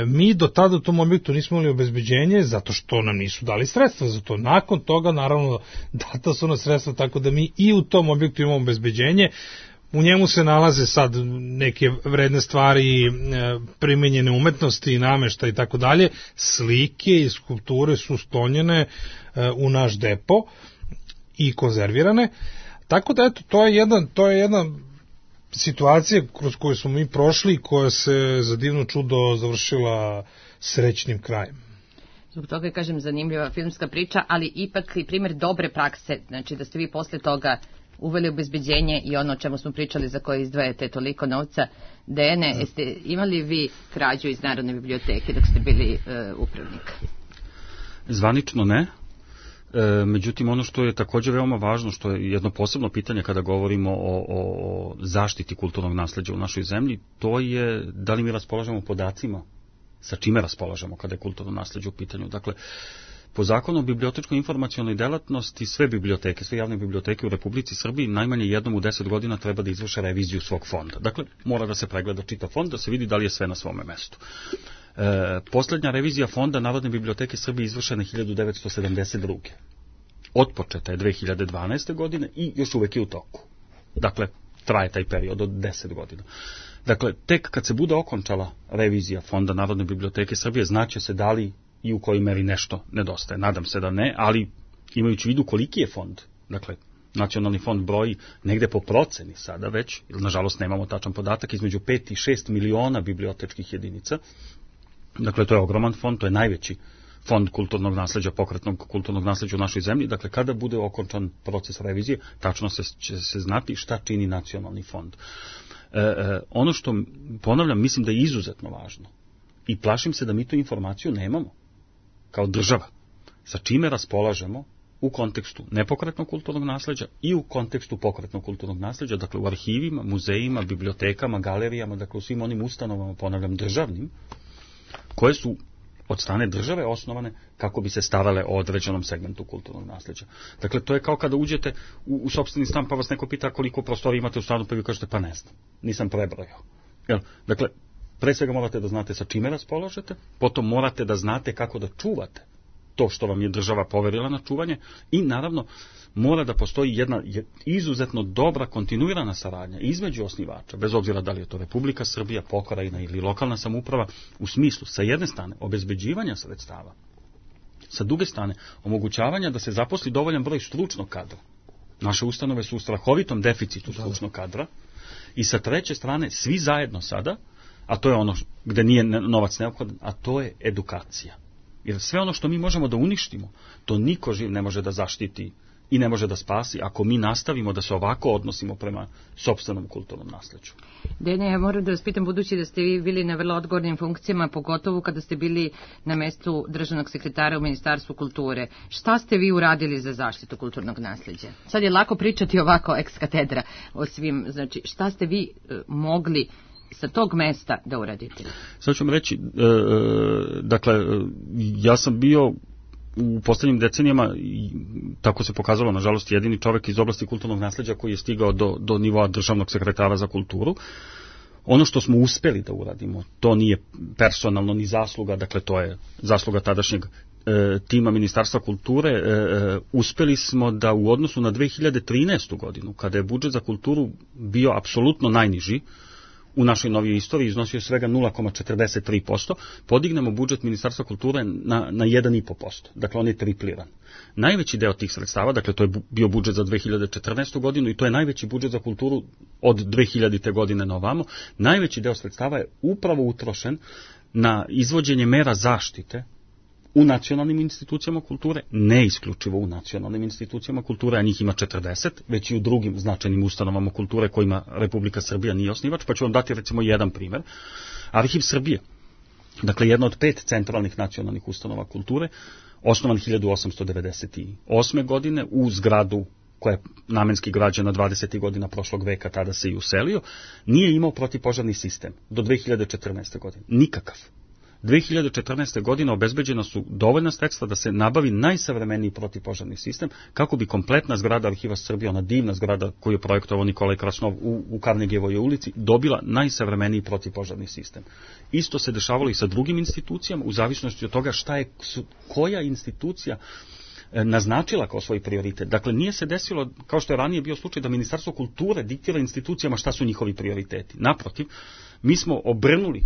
mi do tada u tom objektu nismo imali obezbeđenje zato što nam nisu dali sredstva za to. Nakon toga, naravno, data su na sredstva, tako da mi i u tom objektu imamo obezbeđenje. U njemu se nalaze sad neke vredne stvari, primenjene umetnosti, namešta i tako dalje. Slike i skulpture su sklonjene u naš depo i konzervirane. Tako da, eto, to je jedna situacija kroz koju smo mi prošli i koja se za divno čudo završila srećnim krajem. Zbog toga je, kažem, zanimljiva filmska priča, ali ipak i primjer dobre prakse, znači da ste vi posle toga uveli obezbeđenje i ono o čemu smo pričali za koje izdvajate toliko novca. Dejane, jeste imali vi krađu iz Narodne biblioteke dok ste bili upravnik? Zvanično ne. Međutim, ono što je također veoma važno, što je jedno posebno pitanje kada govorimo o zaštiti kulturnog nasleđa u našoj zemlji, to je da li mi raspolažemo podacima, sa čime raspolažemo kada je kulturno nasleđe u pitanju. Dakle, po zakonu o bibliotečkoj informacionoj delatnosti sve biblioteke, sve javne biblioteke u Republici Srbiji najmanje jednom u 10 godina treba da izvrše reviziju svog fonda. Dakle, mora da se pregleda čitav fond, da se vidi da li je sve na svome mestu. Poslednja revizija fonda Narodne biblioteke Srbije izvršena 1972. Otpočeta je 2012. godine i još uvek je u toku. Dakle, traje taj period od 10 godina. Dakle, tek kad se bude okončala revizija fonda Narodne biblioteke Srbije, znaće se da li i u kojoj meri nešto nedostaje. Nadam se da ne, ali imajući u vidu koliki je fond, dakle, nacionalni fond broji negde po proceni sada već, jer nažalost nemamo tačan podatak, između 5 i 6 miliona bibliotečkih jedinica. Dakle, to je ogroman fond, to je najveći fond kulturnog nasleđa, pokretnog kulturnog nasleđa u našoj zemlji. Dakle, kada bude okončan proces revizije, tačno će se znati šta čini nacionalni fond. Ono što, ponavljam, mislim da je izuzetno važno, I plašim se da mi tu informaciju nemamo, kao država, sa čime raspolažemo u kontekstu nepokretnog kulturnog nasleđa i u kontekstu pokretnog kulturnog nasleđa, dakle u arhivima, muzejima, bibliotekama, galerijama, dakle u svim onim ustanovama, ponavljam, državnim, koje su od strane države osnovane kako bi se starale o određenom segmentu kulturnog nasleđa. Dakle, to je kao kada uđete u sopstveni stan pa vas neko pita koliko prostora imate u stanu, pa vi kažete pa ne znam, nisam prebrojao. Dakle, pre svega morate da znate sa čime raspolažete, potom morate da znate kako da čuvate to što vam je država poverila na čuvanje i naravno mora da postoji jedna izuzetno dobra kontinuirana saradnja između osnivača, bez obzira da li je to Republika Srbija, pokrajina ili lokalna samouprava, u smislu sa jedne strane obezbeđivanja sredstava, sa druge strane omogućavanja da se zaposli dovoljan broj stručnog kadra. Naše ustanove su u strahovitom deficitu stručnog kadra i sa treće strane svi zajedno sada, a to je ono gde nije novac neophodan, a to je edukacija. Jer sve ono što mi možemo da uništimo, to niko živ ne može da zaštiti i ne može da spasi ako mi nastavimo da se ovako odnosimo prema sopstvenom kulturnom nasleđu. Dene, ja moram da vas pitam, budući da ste vi bili na vrlo odgovornim funkcijama, pogotovo kada ste bili na mestu državnog sekretara u Ministarstvu kulture, šta ste vi uradili za zaštitu kulturnog nasleđa? Sad je lako pričati ovako ex katedra o svim, znači šta ste vi mogli sa tog mesta da uradite? Sad ću vam reći, dakle, ja sam bio u poslednjim decenijama, tako se pokazalo, nažalost, jedini čovek iz oblasti kulturnog nasleđa koji je stigao do nivoa državnog sekretara za kulturu. Ono što smo uspeli da uradimo, to nije personalno ni zasluga, dakle to je zasluga tadašnjeg tima Ministarstva kulture, uspeli smo da u odnosu na 2013. godinu, kada je budžet za kulturu bio apsolutno najniži, u našoj novijoj istoriji iznosio svega 0,43%, podignemo budžet Ministarstva kulture na 1,5%. Dakle, on je tripliran. Najveći deo tih sredstava, dakle, to je bio budžet za 2014. godinu i to je najveći budžet za kulturu od 2000. godine na ovamo, najveći deo sredstava je upravo utrošen na izvođenje mera zaštite u nacionalnim institucijama kulture, ne isključivo u nacionalnim institucijama kulture, a njih ima 40, već i u drugim značajnim ustanovama kulture kojima Republika Srbija nije osnivač, pa ću vam dati recimo jedan primer. Arhiv Srbije, dakle jedna od 5 centralnih nacionalnih ustanova kulture, osnovan 1898. godine u zgradu koja je namenski građena 20. godina prošlog veka, tada se i uselio, nije imao protivpožarni sistem do 2014. godine. Nikakav. 2014. godine obezbeđena su dovoljna sredstva da se nabavi najsavremeniji protivpožarni sistem kako bi kompletna zgrada Arhiva Srbije, ona divna zgrada koju je projektovao Nikolaj Krasnov u Karnegijevoj ulici, dobila najsavremeniji protivpožarni sistem. Isto se dešavalo i sa drugim institucijama u zavisnosti od toga koja institucija naznačila kao svoj prioritet. Dakle, nije se desilo, kao što je ranije bio slučaj, da Ministarstvo kulture diktira institucijama šta su njihovi prioriteti. Naprotiv, mi smo obrnuli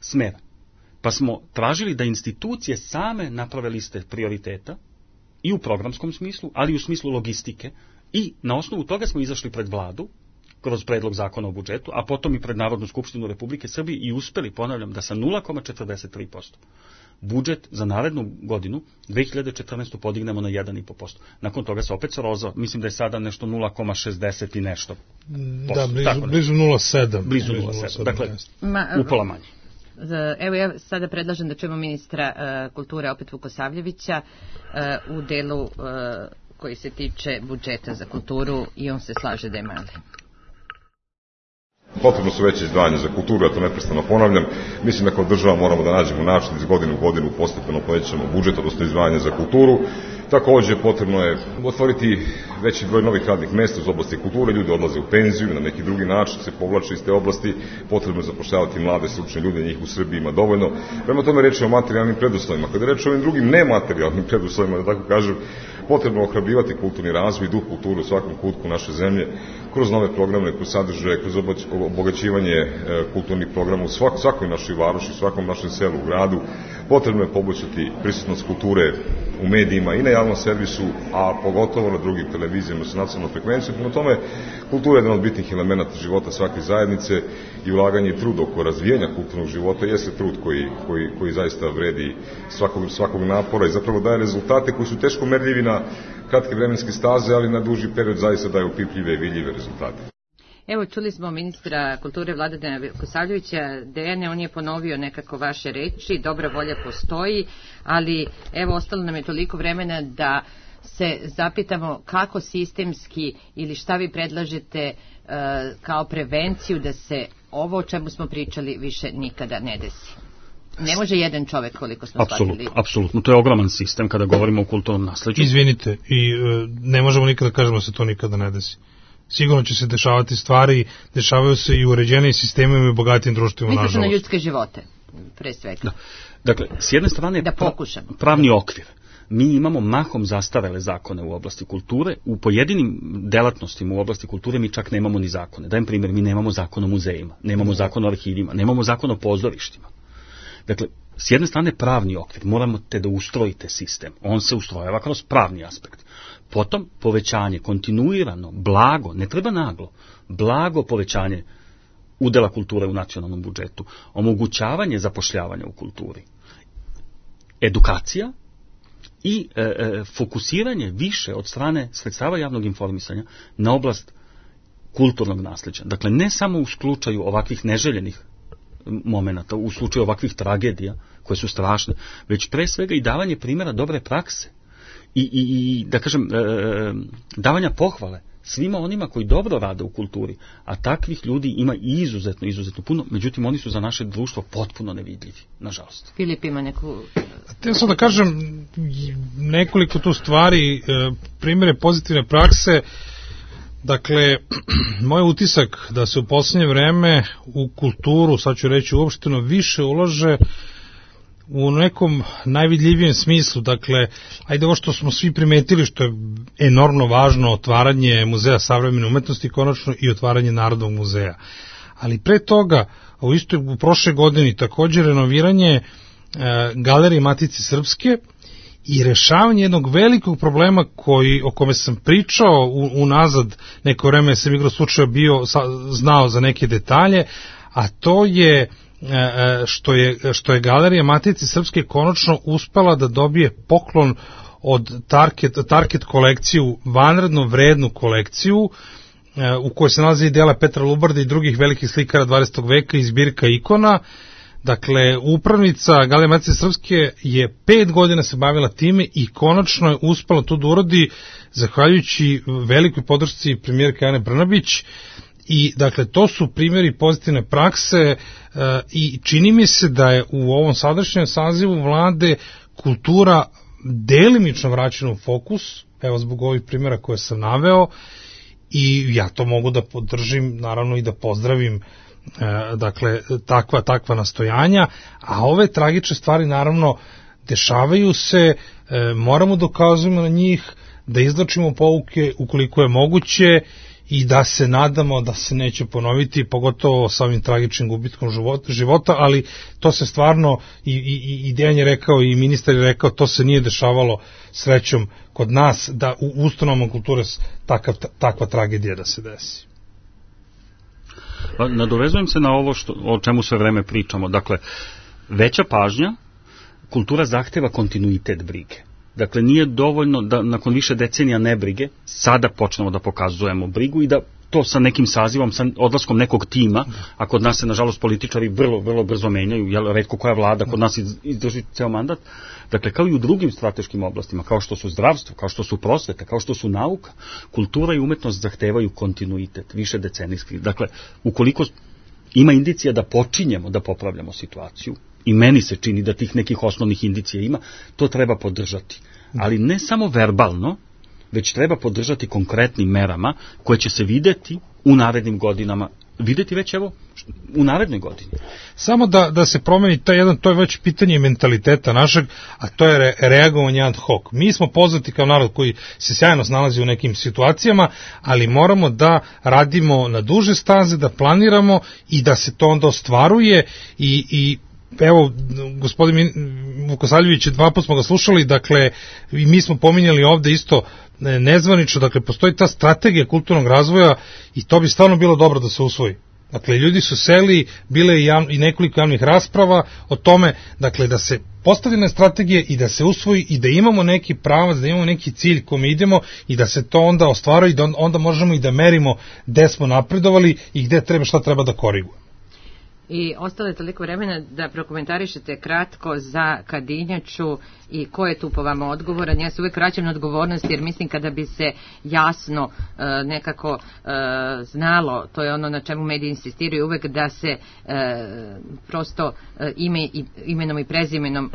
smer, pa smo tražili da institucije same naprave liste prioriteta i u programskom smislu, ali i u smislu logistike, i na osnovu toga smo izašli pred vladu kroz predlog zakona o budžetu, a potom i pred Narodnu skupštinu Republike Srbije i uspeli, ponavljam, da sa 0,43% budžet za narednu godinu 2014. podignemo na 1,5%. Nakon toga se opet srozao, mislim da je sada nešto 0,60 i nešto. Da, blizu 0,7. Blizu 0,7, dakle, upola manje. Evo ja sada predlažem da čujemo ministra kulture opet Vukosavljevića u delu koji se tiče budžeta za kulturu i on se slaže da je mali. Potrebno su veće izdvajanje za kulturu, ja to neprestano ponavljam. Mislim da kao država moramo da nađemo način iz godine u godinu postepeno povećamo budžet, odnosno izdvajanje za kulturu. Takođe, potrebno je otvoriti veći broj novih radnih mesta iz oblasti kulture, ljudi odlaze u penziju, na neki drugi način se povlače iz te oblasti, potrebno je zapošljavati mlade stručne ljude, njih u Srbiji ima dovoljno. Prema tome reč je o materijalnim preduslovima. Kada reč o ovim drugim nematerijalnim preduslovima, da tako kažem, potrebno je ohrabrivati kulturni razvoj i duh kulture u svakom kutku naše zemlje, kroz nove programe, kroz sadržaje, kroz obogaćivanje kulturnih programa u svakoj našoj varoši, svakom našem selu, u gradu. Potrebno je poboljšati prisutnost kulture u medijima i na javnom servisu, a pogotovo na drugim televizijama sa nacionalnom frekvencijom. Prema tome, kultura je jedan od bitnih elemenata života svake zajednice i ulaganje i trud oko razvijanja kulturnog života jeste trud koji zaista vredi svakog napora i zapravo daje rezultate koji su teško merljivi na kratke vremenske staze, ali na duži period zaista daju opipljive i vidljive rezultate. Evo, čuli smo ministra kulture Vladana Vukosavljevića. Dejane, on je ponovio nekako vaše reči, dobra volja postoji, ali evo, ostalo nam je toliko vremena da se zapitamo kako sistemski ili šta vi predlažete kao prevenciju da se ovo o čemu smo pričali više nikada ne desi. Ne može jedan čovek, koliko smo shvatili. Apsolutno, to je ogroman sistem kada govorimo o kulturnom nasleđu. Izvinite, i ne možemo nikada kažemo da se to nikada ne desi. Sigurno će se dešavati stvari, dešavaju se i uređeniji sistemima i bogatim društvima, nažalost. Misliš na ljudske živote, pre svega. Da. Dakle, s jedne strane pravni okvir. Mi imamo mahom zastarele zakone u oblasti kulture, u pojedinim delatnostima u oblasti kulture mi čak nemamo ni zakone. Dajem primjer, mi nemamo zakon o muzejima, nemamo zakon o arhivima, nemamo zakon o pozorištima. Dakle, s jedne strane pravni okvir, moramo te da ustrojite sistem, on se ustrojava kroz pravni aspekt. Potom povećanje, kontinuirano, blago, ne treba naglo, blago povećanje udela kulture u nacionalnom budžetu, omogućavanje zapošljavanja u kulturi, edukacija i fokusiranje više od strane sredstava javnog informisanja na oblast kulturnog nasleđa. Dakle, ne samo u slučaju ovakvih neželjenih momenata, u slučaju ovakvih tragedija koje su strašne, već pre svega i davanje primjera dobre prakse i da kažem, davanja pohvale svima onima koji dobro rade u kulturi, a takvih ljudi ima izuzetno puno, međutim oni su za naše društvo potpuno nevidljivi, nažalost. Filip ima neku... Htio sam da kažem nekoliko tu stvari, primjere pozitivne prakse. Dakle, moj utisak da se u posljednje vreme u kulturu, sad ću reći uopšteno, više ulaže u nekom najvidljivijem smislu. Dakle, ajde ovo što smo svi primetili, što je enormno važno, otvaranje Muzeja savremene umetnosti, konačno i otvaranje Narodnog muzeja. Ali pre toga, u prošle godini također renoviranje Galerije Matice Srpske i rešavanje jednog velikog problema o kome sam pričao unazad neko vreme, sam igro slučaja znao za neke detalje, a to je što je Galerija Matice Srpske konačno uspela da dobije poklon od Target kolekciju, vanredno vrednu kolekciju, u kojoj se nalazi i dela Petra Lubarda i drugih velikih slikara 20. veka i zbirka ikona. Dakle, upravnica Galerije Matice Srpske je 5 godina se bavila time i konačno je uspela to da uradi zahvaljujući velikoj podršci premijerke Ane Brnabić. I dakle, to su primjeri pozitivne prakse i čini mi se da je u ovom sadašnjem sazivu vlade kultura delimično vraćena u fokus, evo zbog ovih primjera koje sam naveo, i ja to mogu da podržim, naravno i da pozdravim, dakle, takva nastojanja, a ove tragične stvari naravno dešavaju se, moramo dokazujemo na njih, da izvlačimo pouke ukoliko je moguće i da se nadamo da se neće ponoviti, pogotovo sa ovim tragičnim gubitkom života, ali to se stvarno, i Dejan je rekao i ministar je rekao, to se nije dešavalo srećom kod nas, da u ustanovama kulture takva tragedija da se desi. Nadovezujem se na ovo o čemu sve vreme pričamo. Dakle, veća pažnja, kultura zahteva kontinuitet brige. Dakle, nije dovoljno da nakon više decenija nebrige sada počnemo da pokazujemo brigu i da to sa nekim sazivom, sa odlaskom nekog tima, a kod nas se, nažalost, političari vrlo brzo menjaju, jer retko koja vlada kod nas izdrži ceo mandat. Dakle, kao i u drugim strateškim oblastima, kao što su zdravstvo, kao što su prosveta, kao što su nauka, kultura i umetnost zahtevaju kontinuitet, više decenijski. Dakle, ukoliko ima indicija da počinjemo da popravljamo situaciju, i meni se čini da tih nekih osnovnih indicija ima, to treba podržati. Ali ne samo verbalno, već treba podržati konkretnim merama koje će se videti u narednim godinama, videti već evo u narednoj godini. Samo da se promeni to je već pitanje mentaliteta našeg, a to je reagovanje ad hoc. Mi smo poznati kao narod koji se sjajno snalazi u nekim situacijama, ali moramo da radimo na duže staze, da planiramo i da se to onda ostvaruje i evo, gospodin Vukosavljević, 2 puta smo ga slušali, dakle, i mi smo pominjali ovde isto nezvanično, dakle, postoji ta strategija kulturnog razvoja i to bi stvarno bilo dobro da se usvoji. Dakle, ljudi su seli, bile i nekoliko javnih rasprava o tome, dakle, da se postavljene strategije i da se usvoji i da imamo neki pravac, da imamo neki cilj kome idemo i da se to onda ostvaruje i da onda možemo i da merimo gde smo napredovali i gde treba, šta treba da korigujemo. I ostalo je toliko vremena da prokomentarišete kratko za Kadinjaču i ko je tu po vama odgovoran. Ja se uvek vraćam na odgovornost jer mislim kada bi se jasno nekako znalo, to je ono na čemu mediji insistiraju uvek, da se prosto imenom i prezimenom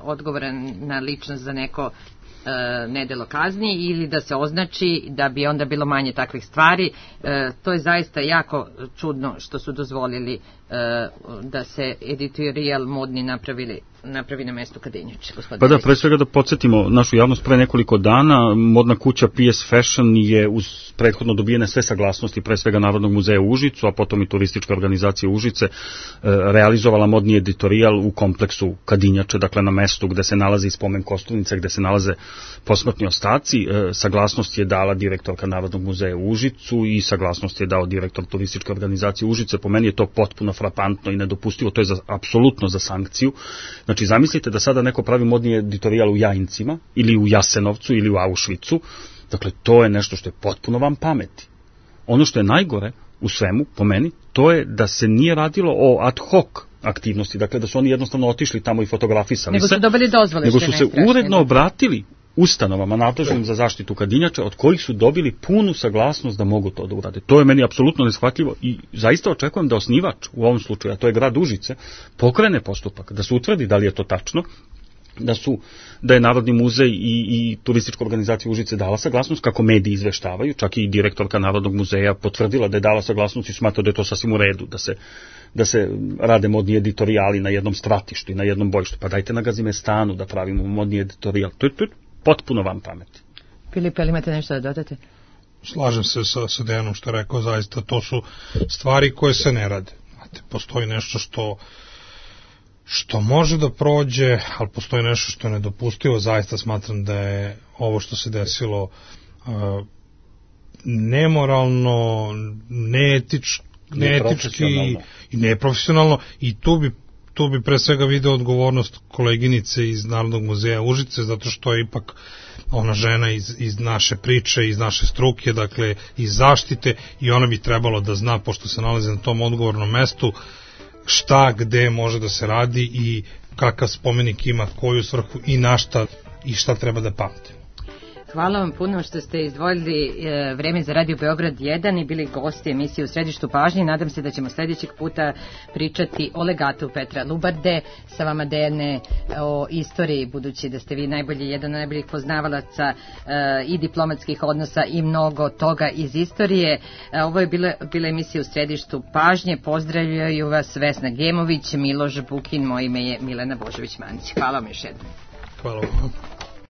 odgovorna ličnost za neko nedelo kazni ili da se označi da bi onda bilo manje takvih stvari. To je zaista jako čudno što su dozvolili da se editorial modni napravi na mestu Kadinjače. Pa da, pre svega da podsjetimo našu javnost, pre nekoliko dana modna kuća PS Fashion je uz prethodno dobijene sve saglasnosti, pre svega Narodnog muzeja u Užicu, a potom i turističke organizacije Užice, realizovala modni editorijal u kompleksu Kadinjače, dakle na mestu gde se nalazi spomen kosturnice, gde se nalaze posmrtni ostaci. Saglasnost je dala direktorka Narodnog muzeja u Užicu i saglasnost je dao direktor turističke organizacije Užice. Po meni je to potpuno frapantno i nedopustivo, to je apsolutno za sankciju. Znači, zamislite da sada neko pravi modni editorijal u Jajincima, ili u Jasenovcu, ili u Auschwitzu. Dakle, to je nešto što je potpuno van pameti. Ono što je najgore u svemu, po meni, to je da se nije radilo o ad hoc aktivnosti, dakle da su oni jednostavno otišli tamo i fotografisali nego su dobili dozvole, nego su se uredno obratili ustanovama nadležnim za zaštitu Kadinjača, od kojih su dobili punu saglasnost da mogu to da urade. To je meni apsolutno neshvatljivo i zaista očekujem da osnivač, u ovom slučaju, a to je grad Užice, pokrene postupak, da se utvrdi da li je to tačno, da je Narodni muzej i turistička organizacija Užice dala saglasnost, kako mediji izveštavaju, čak i direktorka Narodnog muzeja potvrdila da je dala saglasnost i smatra da je to sasvim u redu, da se rade modni editorijali na jednom stratištu i na jednom bojištu. Pa dajte na Gazimestanu da pravimo modni editorijal. To je potpuno van pameti. Filip, ali imate nešto da dodate? Slažem se sa Dejanom što je rekao, zaista to su stvari koje se ne rade. Postoji nešto što može da prođe, ali postoji nešto što je nedopustivo. Zaista smatram da je ovo što se desilo nemoralno, neetički i neprofesionalno, i tu bi pre svega video odgovornost koleginice iz Narodnog muzeja Užice, zato što je ipak ona žena iz naše priče, iz naše struke, dakle iz zaštite, i ona bi trebalo da zna, pošto se nalazi na tom odgovornom mestu, šta, gde može da se radi i kakav spomenik ima, koju svrhu i na šta i šta treba da pamte. Hvala vam puno što ste izdvojili vreme za Radio Beograd 1 i bili gosti emisije U središtu pažnje. Nadam se da ćemo sljedećeg puta pričati o legatu Petra Lubarde, sa vama Dejane o istoriji, budući da ste vi jedan od najboljih poznavalaca i diplomatskih odnosa i mnogo toga iz istorije. Ovo je bila emisija U središtu pažnje. Pozdravljaju vas Vesna Gemović, Miloš Bukin, moje ime je Milena Božović-Manić. Hvala vam još jednom. Hvala vam.